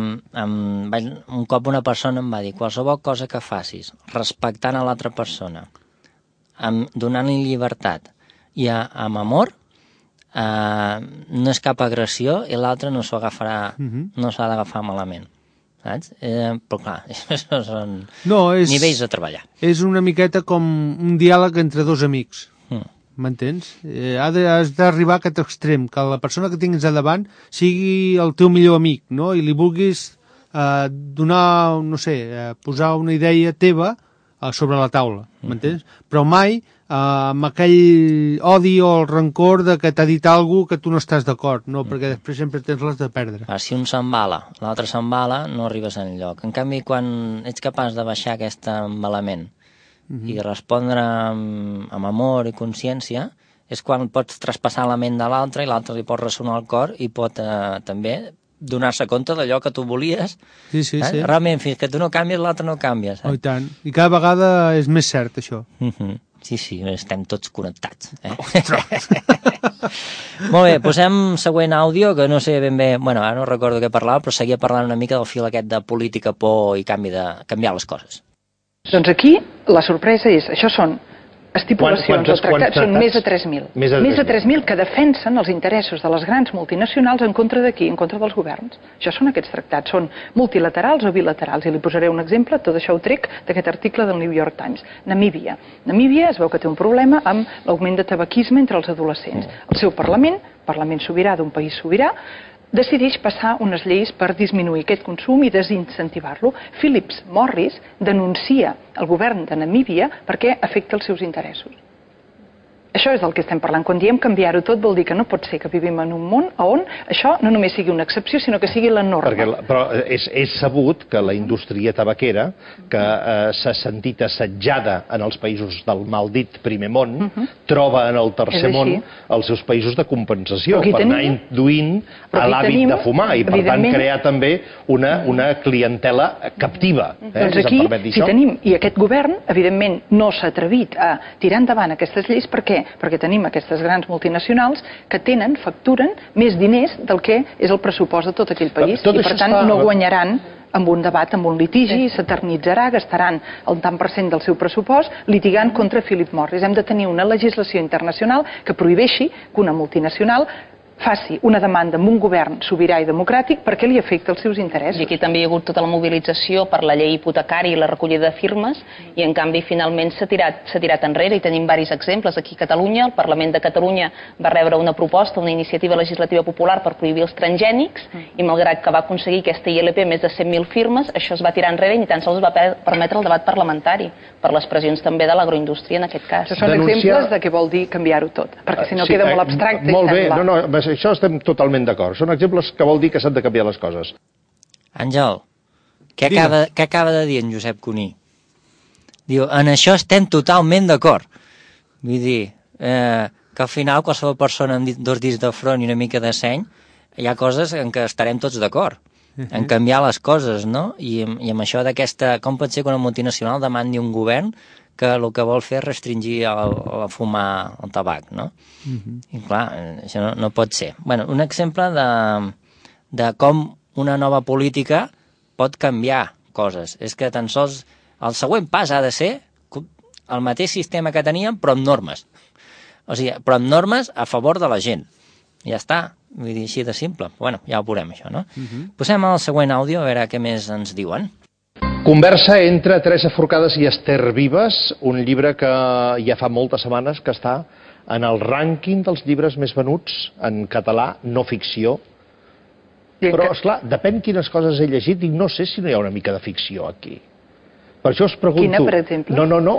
un cop una persona em va dir qualsevol cosa que facis respectant a l'altra persona, donant-li llibertat i amb amor, eh, no és cap agressió i l'altre no s'ho agafarà, no s'ha d'agafar malament. Saps? Eh, però clar, això són no, és, nivells a treballar. És una miqueta com un diàleg entre dos amics, m'entens? Mm. Eh, has d'arribar a aquest extrem, que la persona que tinguis a davant sigui el teu millor amic, no? I li vulguis eh, donar, no sé, eh, posar una idea teva eh, sobre la taula, m'entens? Mm-hmm. Però mai eh, amb aquell odi o el rancor de que t'ha dit alguna que tu no estàs d'acord, no? Perquè després sempre tens les de perdre. Ah, si un s'embala, l'altre s'embala, no arribes enlloc. En canvi, quan ets capaç de baixar aquest embalament mm-hmm. i respondre amb, amb amor i consciència, és quan pots traspassar la ment de l'altre i l'altre li pot ressonar el cor i pot eh, també donar-se compte d'allò que tu volies. Sí, sí, sí. Realment, fins que tu no canvies, l'altre no canvia. Oh, i tant. I cada vegada és més cert, això. Mm-hmm. Sí, sí, estem tots connectats. Eh? Molt bé, posem següent àudio, que no sé ben bé, bueno, ara no recordo què parlava, però seguia parlant una mica del fil aquest de política, por i canvi de canviar les coses. Doncs aquí la sorpresa és, això són estipulacions o tractats, són més de tres mil. Més de tres mil que defensen els interessos de les grans multinacionals en contra d'aquí, en contra dels governs. Això són aquests tractats, són multilaterals o bilaterals, i li posaré un exemple, tot això ho trec d'aquest article del New York Times. Namíbia. Namíbia es veu que té un problema amb l'augment de tabaquisme entre els adolescents. El seu Parlament, Parlament sobirà d'un país sobirà, decideix passar unes lleis per disminuir aquest consum i desincentivar-lo. Philip Morris denuncia el govern de Namíbia perquè afecta els seus interessos. Això és del que estem parlant. Quan diem canviar-ho tot vol dir que no pot ser que vivim en un món on això no només sigui una excepció, sinó que sigui la norma. Perquè, però és, és sabut que la indústria tabaquera, que eh, s'ha sentit assetjada en els països del maldit primer món, uh -huh. troba en el tercer món els seus països de compensació per tenim, anar induint a l'hàbit de fumar i, per tant, crear també una, una clientela captiva. Eh, doncs aquí, si tenim, i aquest govern, evidentment, no s'ha atrevit a tirar endavant aquestes lleis, per què? Perquè tenim aquestes grans multinacionals que tenen, facturen més diners del que és el pressupost de tot aquell país i per tant no guanyaran amb un debat, amb un litigi, s'eternitzarà, gastaran el tant per cent del seu pressupost litigant contra Philip Morris. Hem de tenir una legislació internacional que prohibeixi que una multinacional faci una demanda amb un govern sobirà i democràtic perquè li afecta els seus interessos. I aquí també hi ha hagut tota la mobilització per la llei hipotecària i la recollida de firmes i en canvi finalment s'ha tirat, s'ha tirat enrere i tenim diversos exemples. Aquí a Catalunya, el Parlament de Catalunya va rebre una proposta, una iniciativa legislativa popular per prohibir els transgènics i malgrat que va aconseguir aquesta I L P més de cent mil firmes, això es va tirar enrere i ni tan sols va permetre el debat parlamentari per les pressions també de l'agroindústria en aquest cas. Això són Denunciar... exemples de què vol dir canviar-ho tot, perquè si no sí, queda molt abstracte. Molt bé, no, no, això estem totalment d'acord. Són exemples que vol dir que s'han de canviar les coses. Àngel, què acaba, què acaba de dir en Josep Cuní? Diu, en això estem totalment d'acord. Vull dir, eh, que al final qualsevol persona amb dos dits de front i una mica de seny, hi ha coses en què estarem tots d'acord, en canviar les coses, no? I, i amb això d'aquesta... Com pot ser que una multinacional demandi un govern que el que vol fer és restringir el, el fumar el tabac, no? Uh-huh. I clar, això no, no pot ser. Bueno, un exemple de, de com una nova política pot canviar coses. És que tan sols el següent pas ha de ser el mateix sistema que teníem, però amb normes. O sigui, però amb normes a favor de la gent. Ja està, vull dir, així de simple. Bueno, ja ho veurem, això, no? Uh-huh. Posem el següent àudio, a veure què més ens diuen. Conversa entre Teresa Forcades i Esther Vives, un llibre que ja fa moltes setmanes que està en el rànquing dels llibres més venuts en català, no ficció. Però, esclar, depèn quines coses he llegit i no sé si no hi ha una mica de ficció aquí. Per això us pregunto... Quina, per exemple? No, no, no,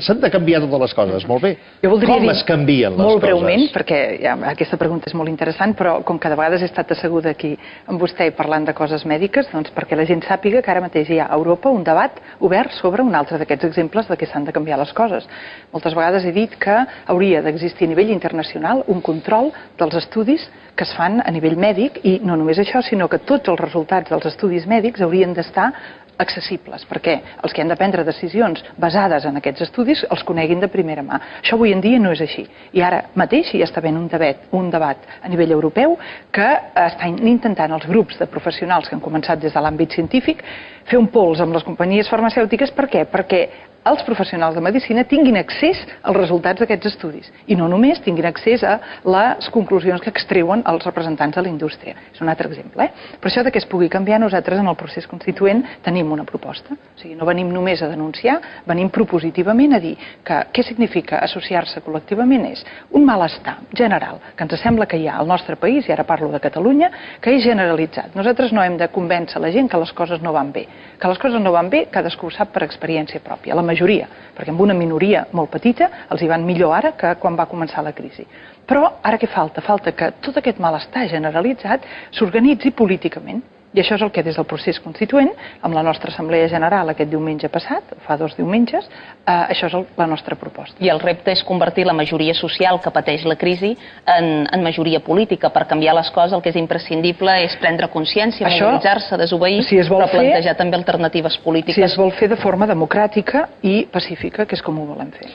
s'han de canviar totes les coses, molt bé. Jo voldria Com dir, es canvien les molt coses? breument, perquè ja, aquesta pregunta és molt interessant, però com que de vegades he estat asseguda aquí amb vostè parlant de coses mèdiques, doncs perquè la gent sàpiga que ara mateix hi ha a Europa un debat obert sobre un altre d'aquests exemples de què s'han de canviar les coses. Moltes vegades he dit que hauria d'existir a nivell internacional un control dels estudis que es fan a nivell mèdic, i no només això, sinó que tots els resultats dels estudis mèdics haurien d'estar accessibles, perquè els que han de prendre decisions basades en aquests estudis els coneguin de primera mà. Això avui en dia no és així. I ara mateix hi està havent un debat, un debat a nivell europeu que estan intentant els grups de professionals que han començat des de l'àmbit científic fer un pols amb les companyies farmacèutiques. Per què? Perquè els professionals de medicina tinguin accés als resultats d'aquests estudis i no només tinguin accés a les conclusions que extreuen els representants de la indústria. És un altre exemple. Eh? Per això de que es pugui canviar, nosaltres en el procés constituent tenim una proposta. O sigui, no venim només a denunciar, venim propositivament a dir que què significa associar-se col·lectivament és un malestar general que ens sembla que hi ha al nostre país, i ara parlo de Catalunya, que és generalitzat. Nosaltres no hem de convèncer la gent que les coses no van bé. Que les coses no van bé, cadascú ho sap per experiència pròpia. La majoria, perquè amb una minoria molt petita els hi van millor ara que quan va començar la crisi. Però ara què falta? Falta que tot aquest malestar generalitzat s'organitzi políticament. I això és el que des del procés constituent, amb la nostra Assemblea General aquest diumenge passat, fa dos diumenges, eh, això és el, la nostra proposta. I el repte és convertir la majoria social que pateix la crisi en, en majoria política. Per canviar les coses el que és imprescindible és prendre consciència, mobilitzar-se, desobeir, si però fer, plantejar també alternatives polítiques. Si es vol fer de forma democràtica i pacífica, que és com ho volem fer.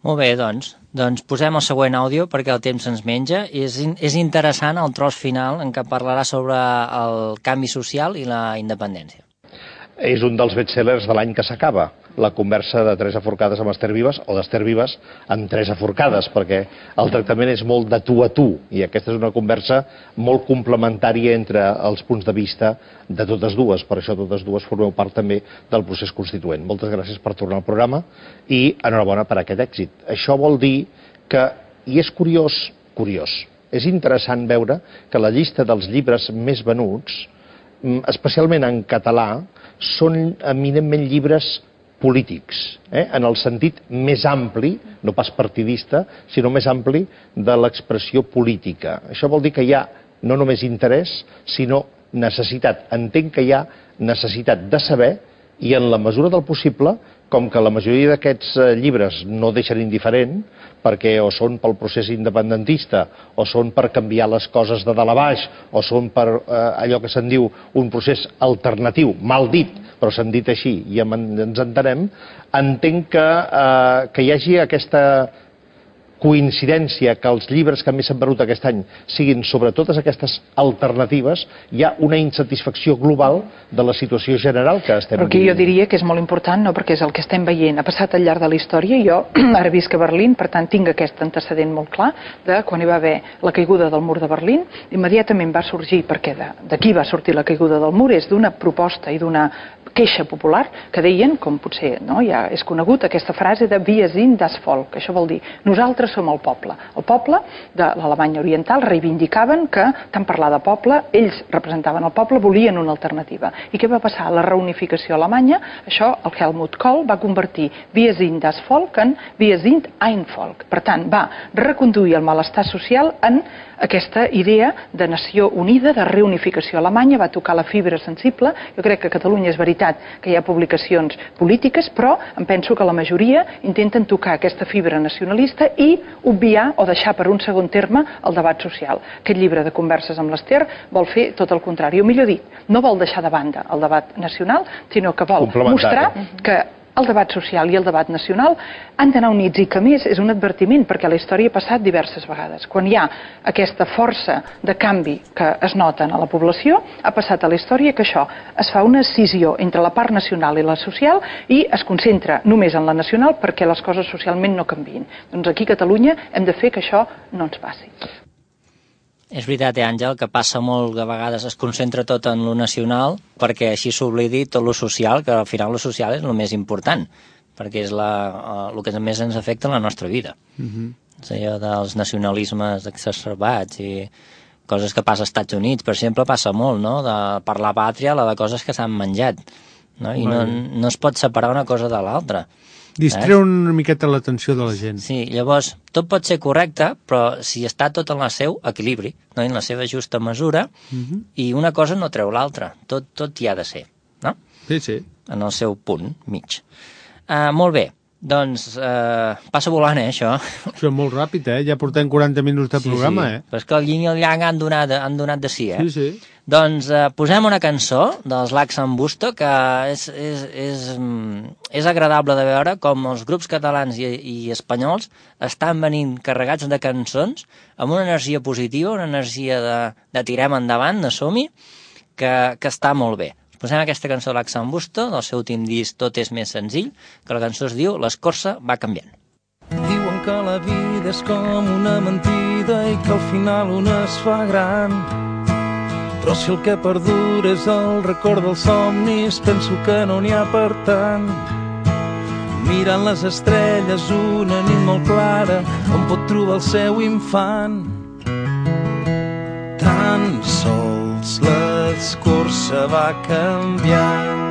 Molt bé, doncs. Doncs posem el següent àudio perquè el temps ens menja. És, és interessant el tros final en què parlarà sobre el canvi social i la independència. És un dels bestsellers de l'any que s'acaba, la conversa de Teresa Forcades amb Esther Vives, o d'Esther Vives amb Teresa Forcades, perquè el tractament és molt de tu a tu, i aquesta és una conversa molt complementària entre els punts de vista de totes dues. Per això totes dues formeu part també del procés constituent. Moltes gràcies per tornar al programa i enhorabona per aquest èxit. Això vol dir que, i és curiós, curiós, és interessant veure que la llista dels llibres més venuts, especialment en català, són eminentment llibres polítics, eh? en el sentit més ampli, no pas partidista, sinó més ampli de l'expressió política. Això vol dir que hi ha no només interès, sinó necessitat. Entenc que hi ha necessitat de saber, i en la mesura del possible, com que la majoria d'aquests llibres no deixen indiferent, perquè o són pel procés independentista, o són per canviar les coses de dalt a baix, o són per eh, allò que se'n diu un procés alternatiu, mal dit, però s'han dit així, i ens entenem, entenc que, eh, que hi hagi aquesta coincidència que els llibres que més s'han venut aquest any siguin sobre totes aquestes alternatives. Hi ha una insatisfacció global de la situació general que estem vivint. Però aquí jo diria que és molt important, no? Perquè és el que estem veient, ha passat al llarg de la història. Jo ara visc a Berlín, per tant tinc aquest antecedent molt clar de quan hi va haver la caiguda del mur de Berlín. Immediatament va sorgir, perquè d'aquí va sortir la caiguda del mur, és d'una proposta i d'una queixa popular que deien, com potser no, ja és conegut, aquesta frase de Wir sind das Volk. Això vol dir, nosaltres som el poble. El poble de l'Alemanya Oriental reivindicaven que, tant parlar de poble, ells representaven el poble, volien una alternativa. I què va passar? La reunificació alemanya, això el Helmut Kohl va convertir Wir sind das Volk en Wir sind ein Volk. Per tant, va reconduir el malestar social en aquesta idea de nació unida, de reunificació alemanya, va tocar la fibra sensible. Jo crec que a Catalunya és veritat que hi ha publicacions polítiques, però em penso que la majoria intenten tocar aquesta fibra nacionalista i obviar o deixar per un segon terme el debat social. Aquest llibre de converses amb l'Esther vol fer tot el contrari, o millor dit, no vol deixar de banda el debat nacional, sinó que vol mostrar que el debat social i el debat nacional han d'anar units, i que més és un advertiment, perquè la història ha passat diverses vegades. Quan hi ha aquesta força de canvi que es nota a la població, ha passat a la història que això es fa una escissió entre la part nacional i la social i es concentra només en la nacional perquè les coses socialment no canviïn. Doncs aquí a Catalunya hem de fer que això no ens passi. És veritat, eh, Àngel, que passa molt que a vegades es concentra tot en lo nacional perquè així s'oblidi tot lo social, que al final lo social és el més important, perquè és la, el que més ens afecta en la nostra vida. Uh-huh. És allò dels nacionalismes exacerbats i coses que passa als Estats Units, per exemple, passa molt, no? De, per la pàtria, la de coses que s'han menjat. no? I no, no es pot separar una cosa de l'altra. Distreu una miqueta l'atenció de la gent. Sí, llavors, tot pot ser correcte, però si està tot en el seu equilibri, no? En la seva justa mesura, uh-huh. i una cosa no treu l'altra. Tot, tot hi ha de ser, no? Sí, sí. En el seu punt mig. Uh, molt bé, doncs uh, passa volant, eh, això. Això és molt ràpid, eh? Ja portem quaranta minuts de programa, sí, sí. eh? Però és que el yin i el yang han donat, han donat de sí, eh? Sí, sí. Doncs eh, posem una cançó dels L'Axambusto que és, és, és, és agradable de veure com els grups catalans i, i espanyols estan venint carregats de cançons amb una energia positiva, una energia de, de tirem endavant, de som-hi, que, que està molt bé. Posem aquesta cançó de L'Axambusto, del seu últim disc Tot és més senzill, que la cançó es diu L'escorça va canviant. Diuen que la vida és com una mentida i que al final una es fa gran. Però si el que perdura és el record dels somnis, penso que no n'hi ha per tant. Mirant les estrelles una nit molt clara, on pot trobar el seu infant. Tan sols l'escorça va canviant.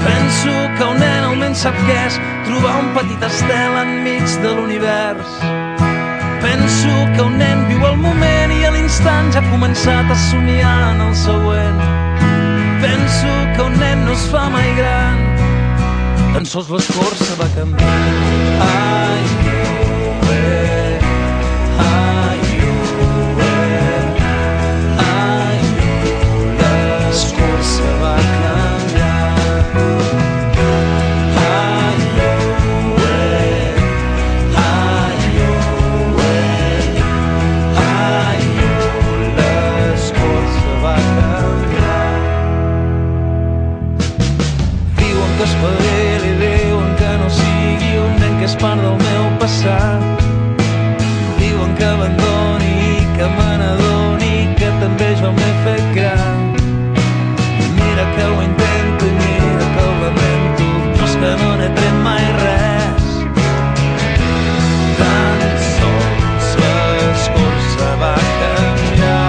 Penso que un nen almenys sap què és trobar un petit estel enmig de l'univers. Penso que un nen viu el moment i a l'instant ja ha començat a somiar en el següent. Penso que un nen no es fa mai gran, tan sols l'escorça va canviar. Ai, oh, eh, ai, oh, eh, ai, oh, l'escorça va canviar. Espavili, diuen que no sigui un nen que és part del meu passat. Diuen que abandoni i que me n'adoni que també jo m'he fet gran. Mira que ho intento i mira que ho lamento, però és que no n'he tret mai res. Tan sols l'escorça va canviar.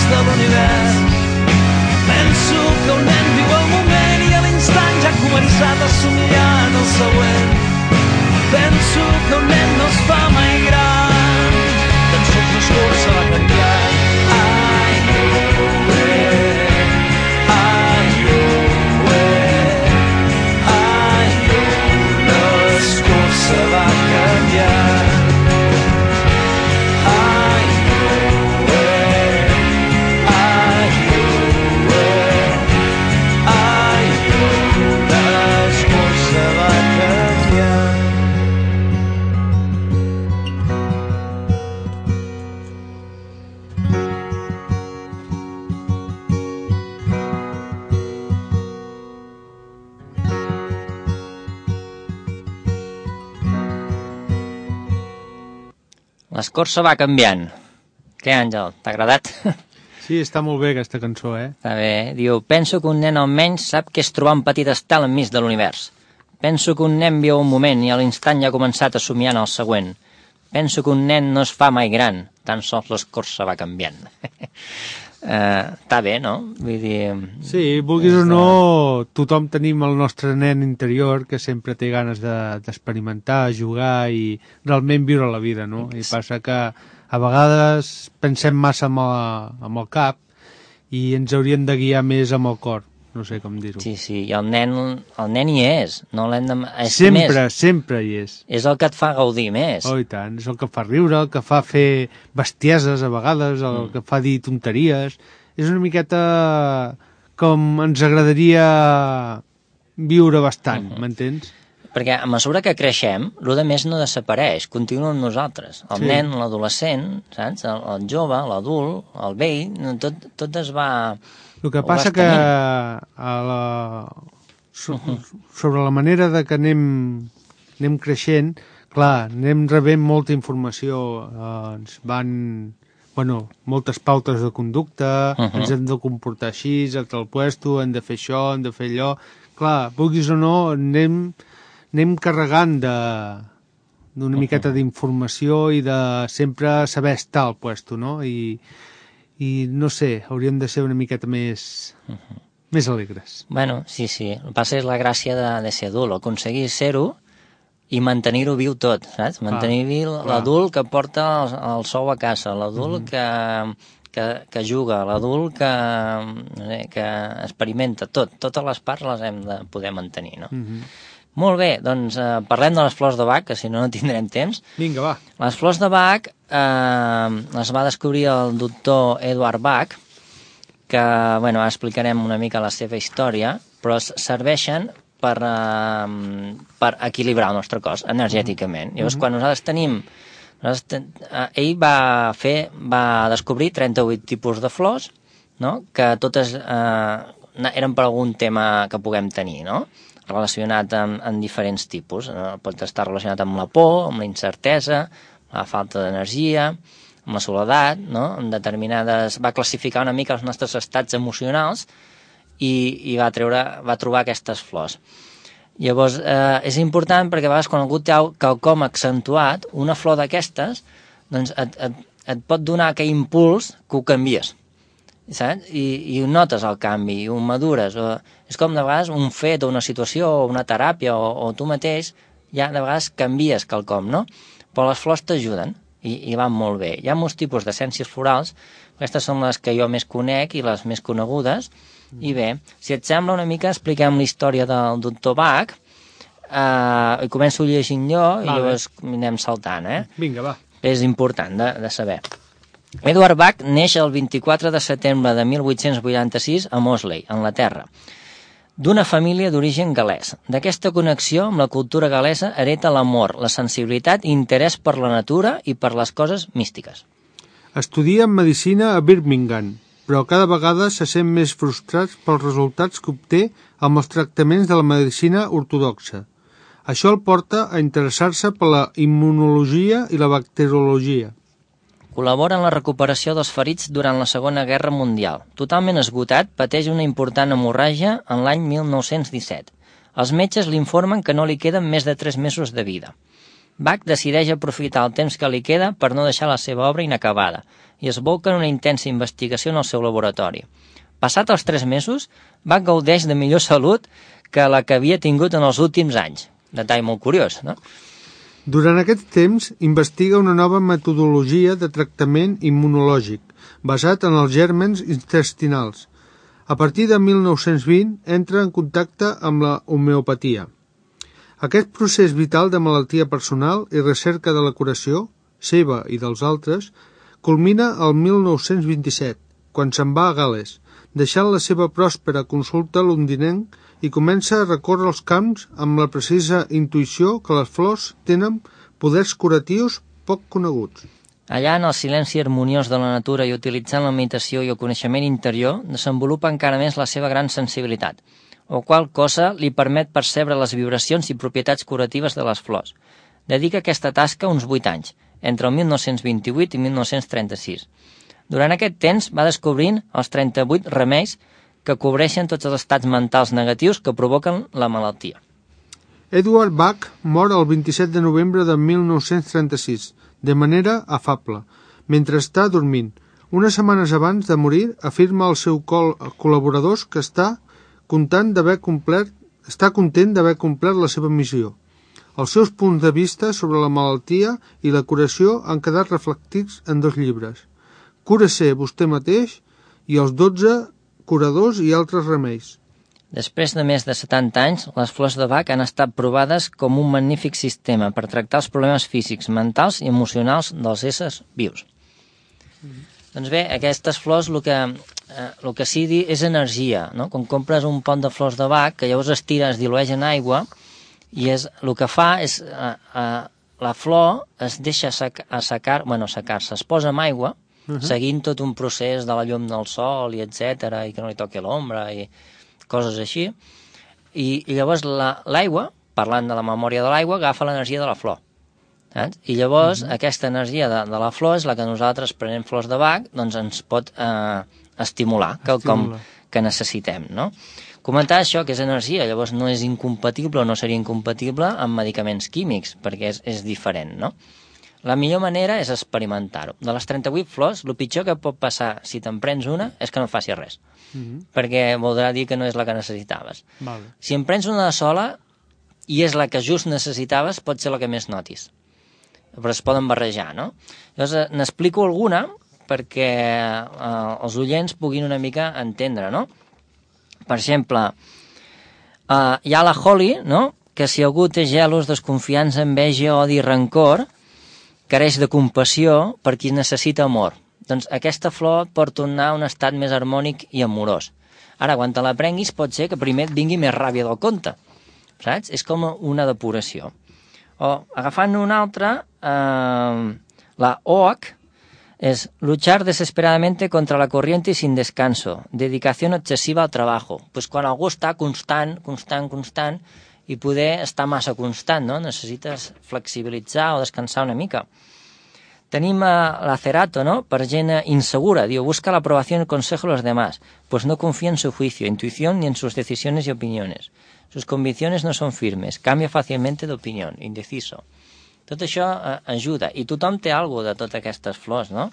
De l'univers. Penso que un nen viu el moment i a l'instant ja ha començat a somiar en el següent. Penso que un nen no es fa mai gran, tan sols l'escorça va canviar. Ai, oh, eh, ai, oh, eh, ai, oh, l'escorça va canviar. L'escorça va canviant. Què, Àngel, t'ha agradat? Sí, està molt bé aquesta cançó, eh? Està bé. Diu, penso que un nen almenys sap què és trobar un petit estel enmig de l'univers. Penso que un nen viu un moment i a l'instant ja ha començat a somiar en el següent. Penso que un nen no es fa mai gran, tan sols l'escorça va canviant. Uh, està bé, no? Vull dir... Sí, vulguis o no, tothom tenim el nostre nen interior que sempre té ganes d'experimentar, de, jugar i realment viure la vida, no? I passa que a vegades pensem massa amb el, amb el cap i ens hauríem de guiar més amb el cor, no sé com dir-ho. Sí, sí, i el nen, el nen hi és, no l'hem de... És sempre, més, sempre hi és. És el que et fa gaudir més. Oh, i tant, és el que fa riure, el que fa fer bestieses a vegades, el mm. que fa dir tonteries. És una miqueta com ens agradaria viure bastant, uh-huh. m'entens? perquè a mesura que creixem, el de més no desapareix, continua amb nosaltres. El sí. nen, l'adolescent, saps? El, el jove, l'adult, el vell, tot, tot es va... El que passa que a la... So, uh -huh. sobre la manera de que anem, anem creixent, clar, anem rebent molta informació, eh, ens van... Bueno, moltes pautes de conducta, uh -huh. ens hem de comportar així, a tal puesto, hem de fer això, hem de fer allò... Clar, vulguis o no, anem, anem carregant d'una miqueta d'informació i de sempre saber estar al puesto, no? I, i no sé, hauríem de ser una miqueta més, uh -huh. més alegres. Bueno, sí, sí. El que passa és la gràcia de, de ser adult, aconseguir ser-ho i mantenir-ho viu tot, saps? Mantenir viu l'adult que porta el, el sou a casa, l'adult uh -huh. que... Que, que juga, l'adult que, no sé, que experimenta tot. Totes les parts les hem de poder mantenir, no? Mm-hmm. Molt bé, doncs eh, parlem de les flors de Bach, que si no no tindrem temps. Vinga, va. Les flors de Bach eh, les va descobrir el doctor Eduard Bach, que, bueno, ara explicarem una mica la seva història, però serveixen per, eh, per equilibrar el nostre cos energèticament. Mm-hmm. Llavors, quan nosaltres tenim... Ell va fer, va descobrir trenta-vuit tipus de flors, no? Que totes eh, eren per algun tema que puguem tenir, no? Relacionat amb, amb diferents tipus. Eh, pot estar relacionat amb la por, amb la incertesa, la falta d'energia, amb la soledat, no? En determinades... Va classificar una mica els nostres estats emocionals i, i va, treure, va trobar aquestes flors. Llavors, eh, és important perquè a vegades quan algú té quelcom accentuat, una flor d'aquestes, doncs et, et, et pot donar aquell impuls que ho canvies, saps? I, i ho notes el canvi, i ho madures. O, és com de vegades un fet o una situació o una teràpia o, o tu mateix, ja de vegades canvies quelcom, no? Però les flors t'ajuden i, i van molt bé. Hi ha molts tipus d'essències florals, aquestes són les que jo més conec i les més conegudes. I bé, si et sembla una mica, expliquem la història del doctor Bach, eh, i començo llegint jo vale. I llavors anem saltant, eh? Vinga, va. És important de, de saber. Eduard Bach neix el vint-i-quatre de setembre de mil vuit-cents vuitanta-sis a Moseley, Anglaterra, d'una família d'origen gal·lès. D'aquesta connexió amb la cultura gal·lesa hereta l'amor, la sensibilitat i interès per la natura i per les coses místiques. Estudia medicina a Birmingham, però cada vegada se sent més frustrat pels resultats que obté amb els tractaments de la medicina ortodoxa. Això el porta a interessar-se per la immunologia i la bacteriologia. Col·labora en la recuperació dels ferits durant la Segona Guerra Mundial. Totalment esgotat, pateix una important hemorràgia en l'any mil nou-cents disset. Els metges li informen que no li queden més de tres mesos de vida. Bach decideix aprofitar el temps que li queda per no deixar la seva obra inacabada i es bolca en una intensa investigació en el seu laboratori. Passat els tres mesos, Bach gaudeix de millor salut que la que havia tingut en els últims anys. Detall molt curiós, no? Durant aquest temps, investiga una nova metodologia de tractament immunològic, basat en els gèrmens intestinals. A partir de mil nou-cents vint, entra en contacte amb la homeopatia. Aquest procés vital de malaltia personal i recerca de la curació, seva i dels altres, culmina el mil nou-cents vint-i-set, quan se'n va a Gal·les, deixant la seva pròspera consulta londinenc i comença a recórrer els camps amb la precisa intuïció que les flors tenen poders curatius poc coneguts. Allà, en el silenci harmoniós de la natura i utilitzant la meditació i el coneixement interior, desenvolupa encara més la seva gran sensibilitat, o qual cosa li permet percebre les vibracions i propietats curatives de les flors. Dedica aquesta tasca uns vuit anys, entre el mil nou-cents vint-i-vuit i mil nou-cents trenta-sis. Durant aquest temps va descobrint els trenta-vuit remeis que cobreixen tots els estats mentals negatius que provoquen la malaltia. Eduard Bach mor el vint-i-set de novembre de mil nou-cents trenta-sis, de manera afable, mentre està dormint. Unes setmanes abans de morir, afirma als seus col col·laboradors que està content d'haver complert, està content d'haver complert la seva missió. Els seus punts de vista sobre la malaltia i la curació han quedat reflectits en dos llibres, Cura-se vostè mateix i els dotze curadors i altres remeis. Després de més de setanta anys, les flors de Bach han estat provades com un magnífic sistema per tractar els problemes físics, mentals i emocionals dels éssers vius. Mm. Doncs bé, aquestes flors el que, eh, el que sí és energia, no? Quan compres un pot de flors de Bach, que llavors es tira, es dilueix en aigua I és, el que fa és, uh, uh, la flor es deixa assecar, bueno, assecar-se, es posa amb aigua, uh -huh. seguint tot un procés de la llum del sol, i etcètera, i que no li toqui l'ombra, i coses així, i, i llavors l'aigua, la, parlant de la memòria de l'aigua, agafa l'energia de la flor. Saps? I llavors uh -huh. aquesta energia de, de la flor és la que nosaltres, prenent flors de Bach, doncs ens pot eh, estimular, quelcom que necessitem, no? Comentar això, que és energia, llavors no és incompatible o no seria incompatible amb medicaments químics, perquè és, és diferent, no? La millor manera és experimentar-ho. De les trenta-vuit flors, el pitjor que pot passar si te'n prens una és que no faci res, uh -huh. perquè voldrà dir que no és la que necessitaves. Vale. Si en prens una sola i és la que just necessitaves, pot ser la que més notis. Però es poden barrejar, no? Llavors, n'explico alguna perquè eh, els oients puguin una mica entendre, no? Per exemple, uh, hi ha la Holly, no? Que si algú té gelos, desconfiança, enveja, odi i rancor, careix de compassió per qui necessita amor. Doncs aquesta flor pot tornar a un estat més harmònic i amorós. Ara, quan te la prenguis, pot ser que primer et vingui més ràbia del compte, saps? És com una depuració. O, agafant una altra, eh, la Oak, es luchar desesperadamente contra la corriente y sin descanso, dedicación excesiva al trabajo. Pues quan algú està constant, constant, constant, i poder estar massa constant, no? Necessites flexibilitzar o descansar una mica. Tenim uh, la Cerato, no? Per gent insegura, diu, busca la aprobación y el consejo de los demás, pues no confía en su juicio, intuición ni en sus decisiones y opiniones. Sus convicciones no son firmes, cambia fácilmente de opinión, indeciso. Tot això eh, ajuda, i tothom té alguna de totes aquestes flors, no?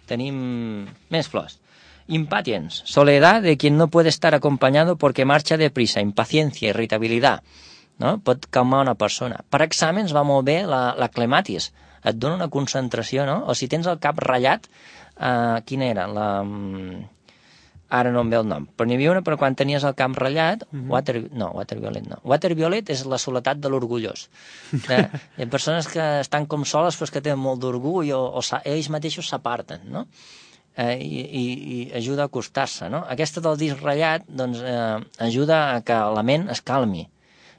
Tenim més flors. Impatience, soledad de quien no puede estar acompañado porque marcha deprisa, impaciencia, irritabilidad, no? Pot calmar una persona. Per exàmens va molt bé la, la clematis, et dona una concentració, no? O si tens el cap ratllat, eh, quina era? La... Ara no em ve el nom, però n'hi havia una per quan tenies el camp ratllat, uh-huh. water, no, waterviolet no. Waterviolet és la soledat de l'orgullós. Eh, hi ha persones que estan com soles però que tenen molt d'orgull o, o ells mateixos s'aparten, no? Eh, i, i, i ajuda a acostar-se, no? Aquesta del disc ratllat, doncs, eh, ajuda a que la ment es calmi.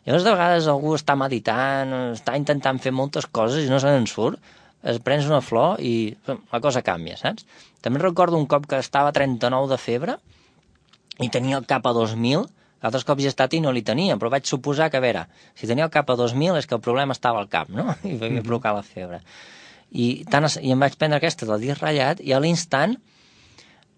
Llavors, de vegades algú està meditant, està intentant fer moltes coses i no se n'en surt, es prens una flor i la cosa canvia, saps? També recordo un cop que estava a trenta-nou de febre i tenia el cap a dos mil, altres cops hi he estat i no li tenia, però vaig suposar que, a veure, si tenia el cap a dos mil és que el problema estava al cap, no? I m'havia provocat la febre. I, tant, I em vaig prendre aquesta del disc ratllat i a l'instant,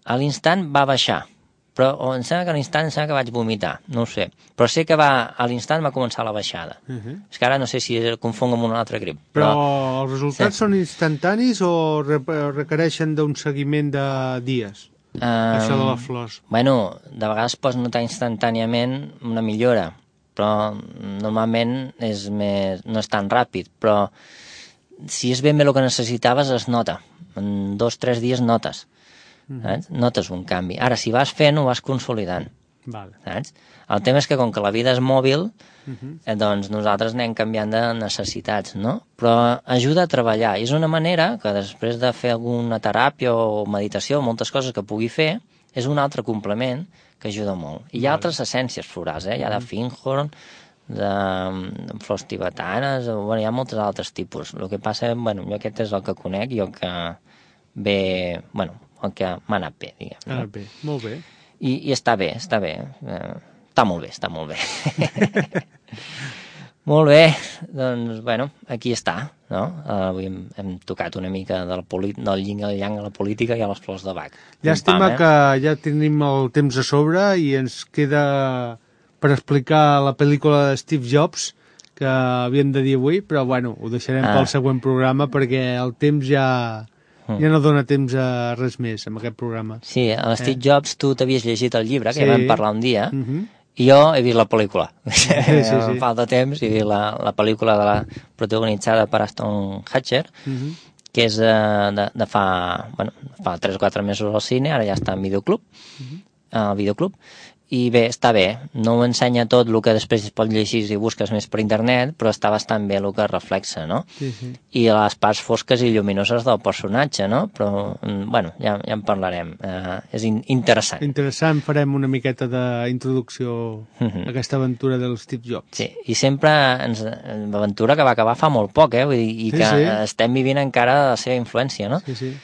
a l'instant va baixar. Però o em sembla que a l'instant em sembla que vaig vomitar, no ho sé. Però sé que va, a l'instant va començar la baixada. Uh -huh. És que ara no sé si el confonc amb un altre grip. Però, però els resultats sí. són instantanis o requereixen d'un seguiment de dies? Um, Això de les flors. Bueno, de vegades pots notar instantàniament una millora, però normalment és més, no és tan ràpid. Però si és ben bé el que necessitaves es nota. En dos o tres dies notes. Saps? Notes un canvi. Ara, si vas fent, ho vas consolidant. Vale. Saps? El tema és que, com que la vida és mòbil, uh-huh. eh, doncs nosaltres anem canviant de necessitats, no? Però ajuda a treballar. I és una manera que després de fer alguna teràpia o meditació, moltes coses que pugui fer, és un altre complement que ajuda molt. I hi ha vale. altres essències florals, eh? Hi ha de finghorn, de, de flors tibetanes, bueno, hi ha molts altres tipus. El que passa, bueno, jo aquest és el que conec i el que ve, bueno, el que m'ha anat bé, diguem. Ha anat bé, molt bé. I, i està bé, està bé. Eh, està molt bé, està molt bé. Molt bé, doncs, bueno, aquí està, no? Uh, avui hem, hem tocat una mica del, del yin al yang a la política i a les flors de Bach. Llàstima eh? que ja tenim el temps a sobre i ens queda per explicar la pel·lícula de Steve Jobs que havíem de dir avui, però bueno, ho deixarem ah. pel següent programa perquè el temps ja... ja no dona temps a res més amb aquest programa. Sí, a Steve eh? Jobs tu t'havies llegit el llibre, que sí. ja vam parlar un dia, uh-huh. i jo he vist la pel·lícula. Sí, sí, sí. Em falta temps i he vist la, la pel·lícula de la protagonitzada per Aston Kutcher, uh-huh. que és de, de, de fa, bueno, fa tres o quatre mesos al cine, ara ja està en videoclub, uh-huh. al videoclub, i bé, està bé, no ho ensenya tot el que després es pot llegir si busques més per internet, però està bastant bé el que reflexa, no? Sí, sí. I les parts fosques i lluminoses del personatge, no? Però, bueno, ja, ja en parlarem. Uh, és in interessant. Interessant, farem una miqueta d'introducció uh-huh. a aquesta aventura del Steve Jobs. Sí, i sempre ens, l'aventura que va acabar fa molt poc, eh? Vull dir, i sí, que sí. estem vivint encara la seva influència, no? Sí, sí.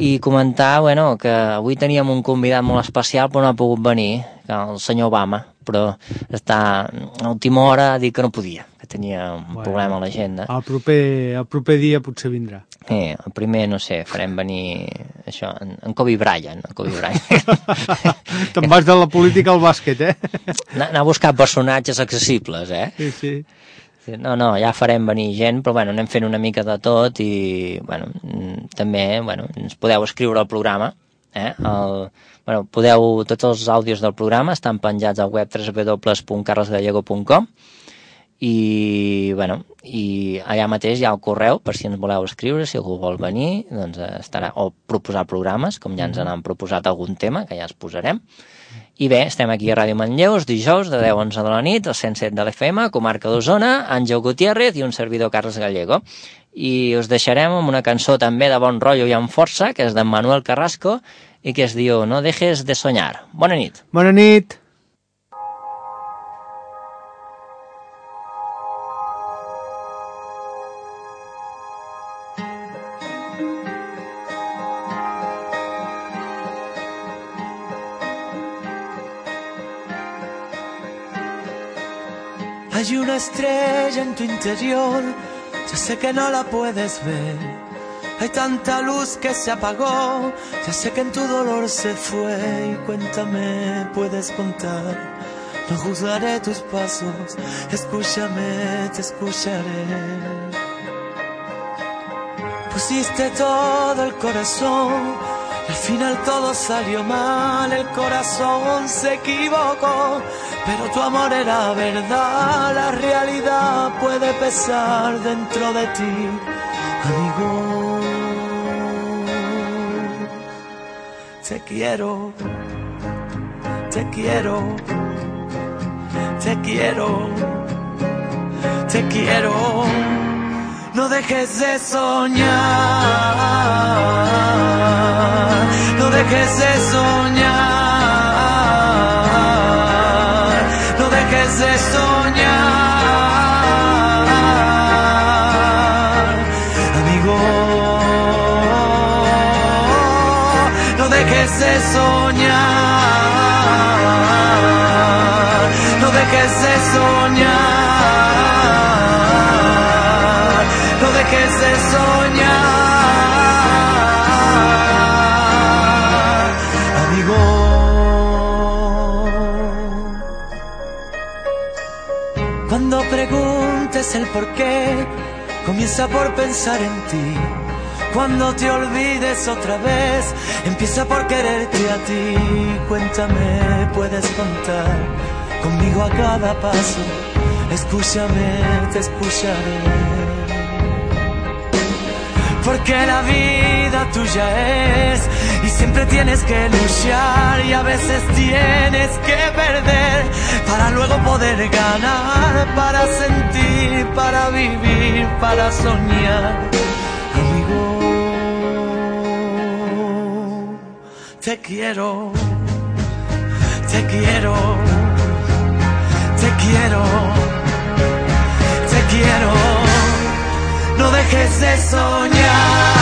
I comentar, bueno, que avui teníem un convidat molt especial però no ha pogut venir, el senyor Obama, però està a última hora a dir que no podia, que tenia un bueno, problema a l'agenda. El proper, el proper dia potser vindrà. Sí, el primer, no sé, farem venir això, en, en Kobe Bryant. En Kobe Bryant. Te'n vas de la política al bàsquet, eh? Anar a buscar personatges accessibles, eh? Sí, sí. No, no, ja farem venir gent, però bueno, anem fent una mica de tot i bueno, també bueno, ens podeu escriure al programa. Eh? El, bueno, podeu, tots els àudios del programa estan penjats al web w w w punt carles gallego punt com i, bueno, i allà mateix hi ha el correu per si ens voleu escriure, si algú vol venir, doncs estarà, o proposar programes, com ja ens han proposat algun tema, que ja els posarem. I bé, estem aquí a Ràdio Manlleu, els dijous de deu a onze de la nit, al cent set de l'F M, comarca d'Osona, Àngel Gutiérrez i un servidor Carles Gallego. I us deixarem amb una cançó també de bon rotllo i amb força, que és d'en Manuel Carrasco, i que es diu No dejes de soñar. Bona nit. Bona nit. Hay una estrella en tu interior, ya sé que no la puedes ver. Hay tanta luz que se apagó, ya sé que en tu dolor se fue. Y cuéntame, puedes contar, no juzgaré tus pasos. Escúchame, te escucharé. Pusiste todo el corazón, al final todo salió mal, el corazón se equivocó, pero tu amor era verdad, la realidad puede pesar dentro de ti, amigo. Te quiero, te quiero, te quiero, te quiero. No dejes de soñar, no dejes de soñar, no dejes de soñar, amigo. No dejes de soñar, no dejes de soñar. No dejes de soñar, amigo. Cuando preguntes el por qué, comienza por pensar en ti. Cuando te olvides otra vez, empieza por quererte a ti. Cuéntame, puedes contar conmigo a cada paso. Escúchame, te escucharé. Porque la vida tuya es y siempre tienes que luchar y a veces tienes que perder para luego poder ganar, para sentir, para vivir, para soñar, amigo. Te quiero, te quiero, te quiero, te quiero. No dejes de soñar,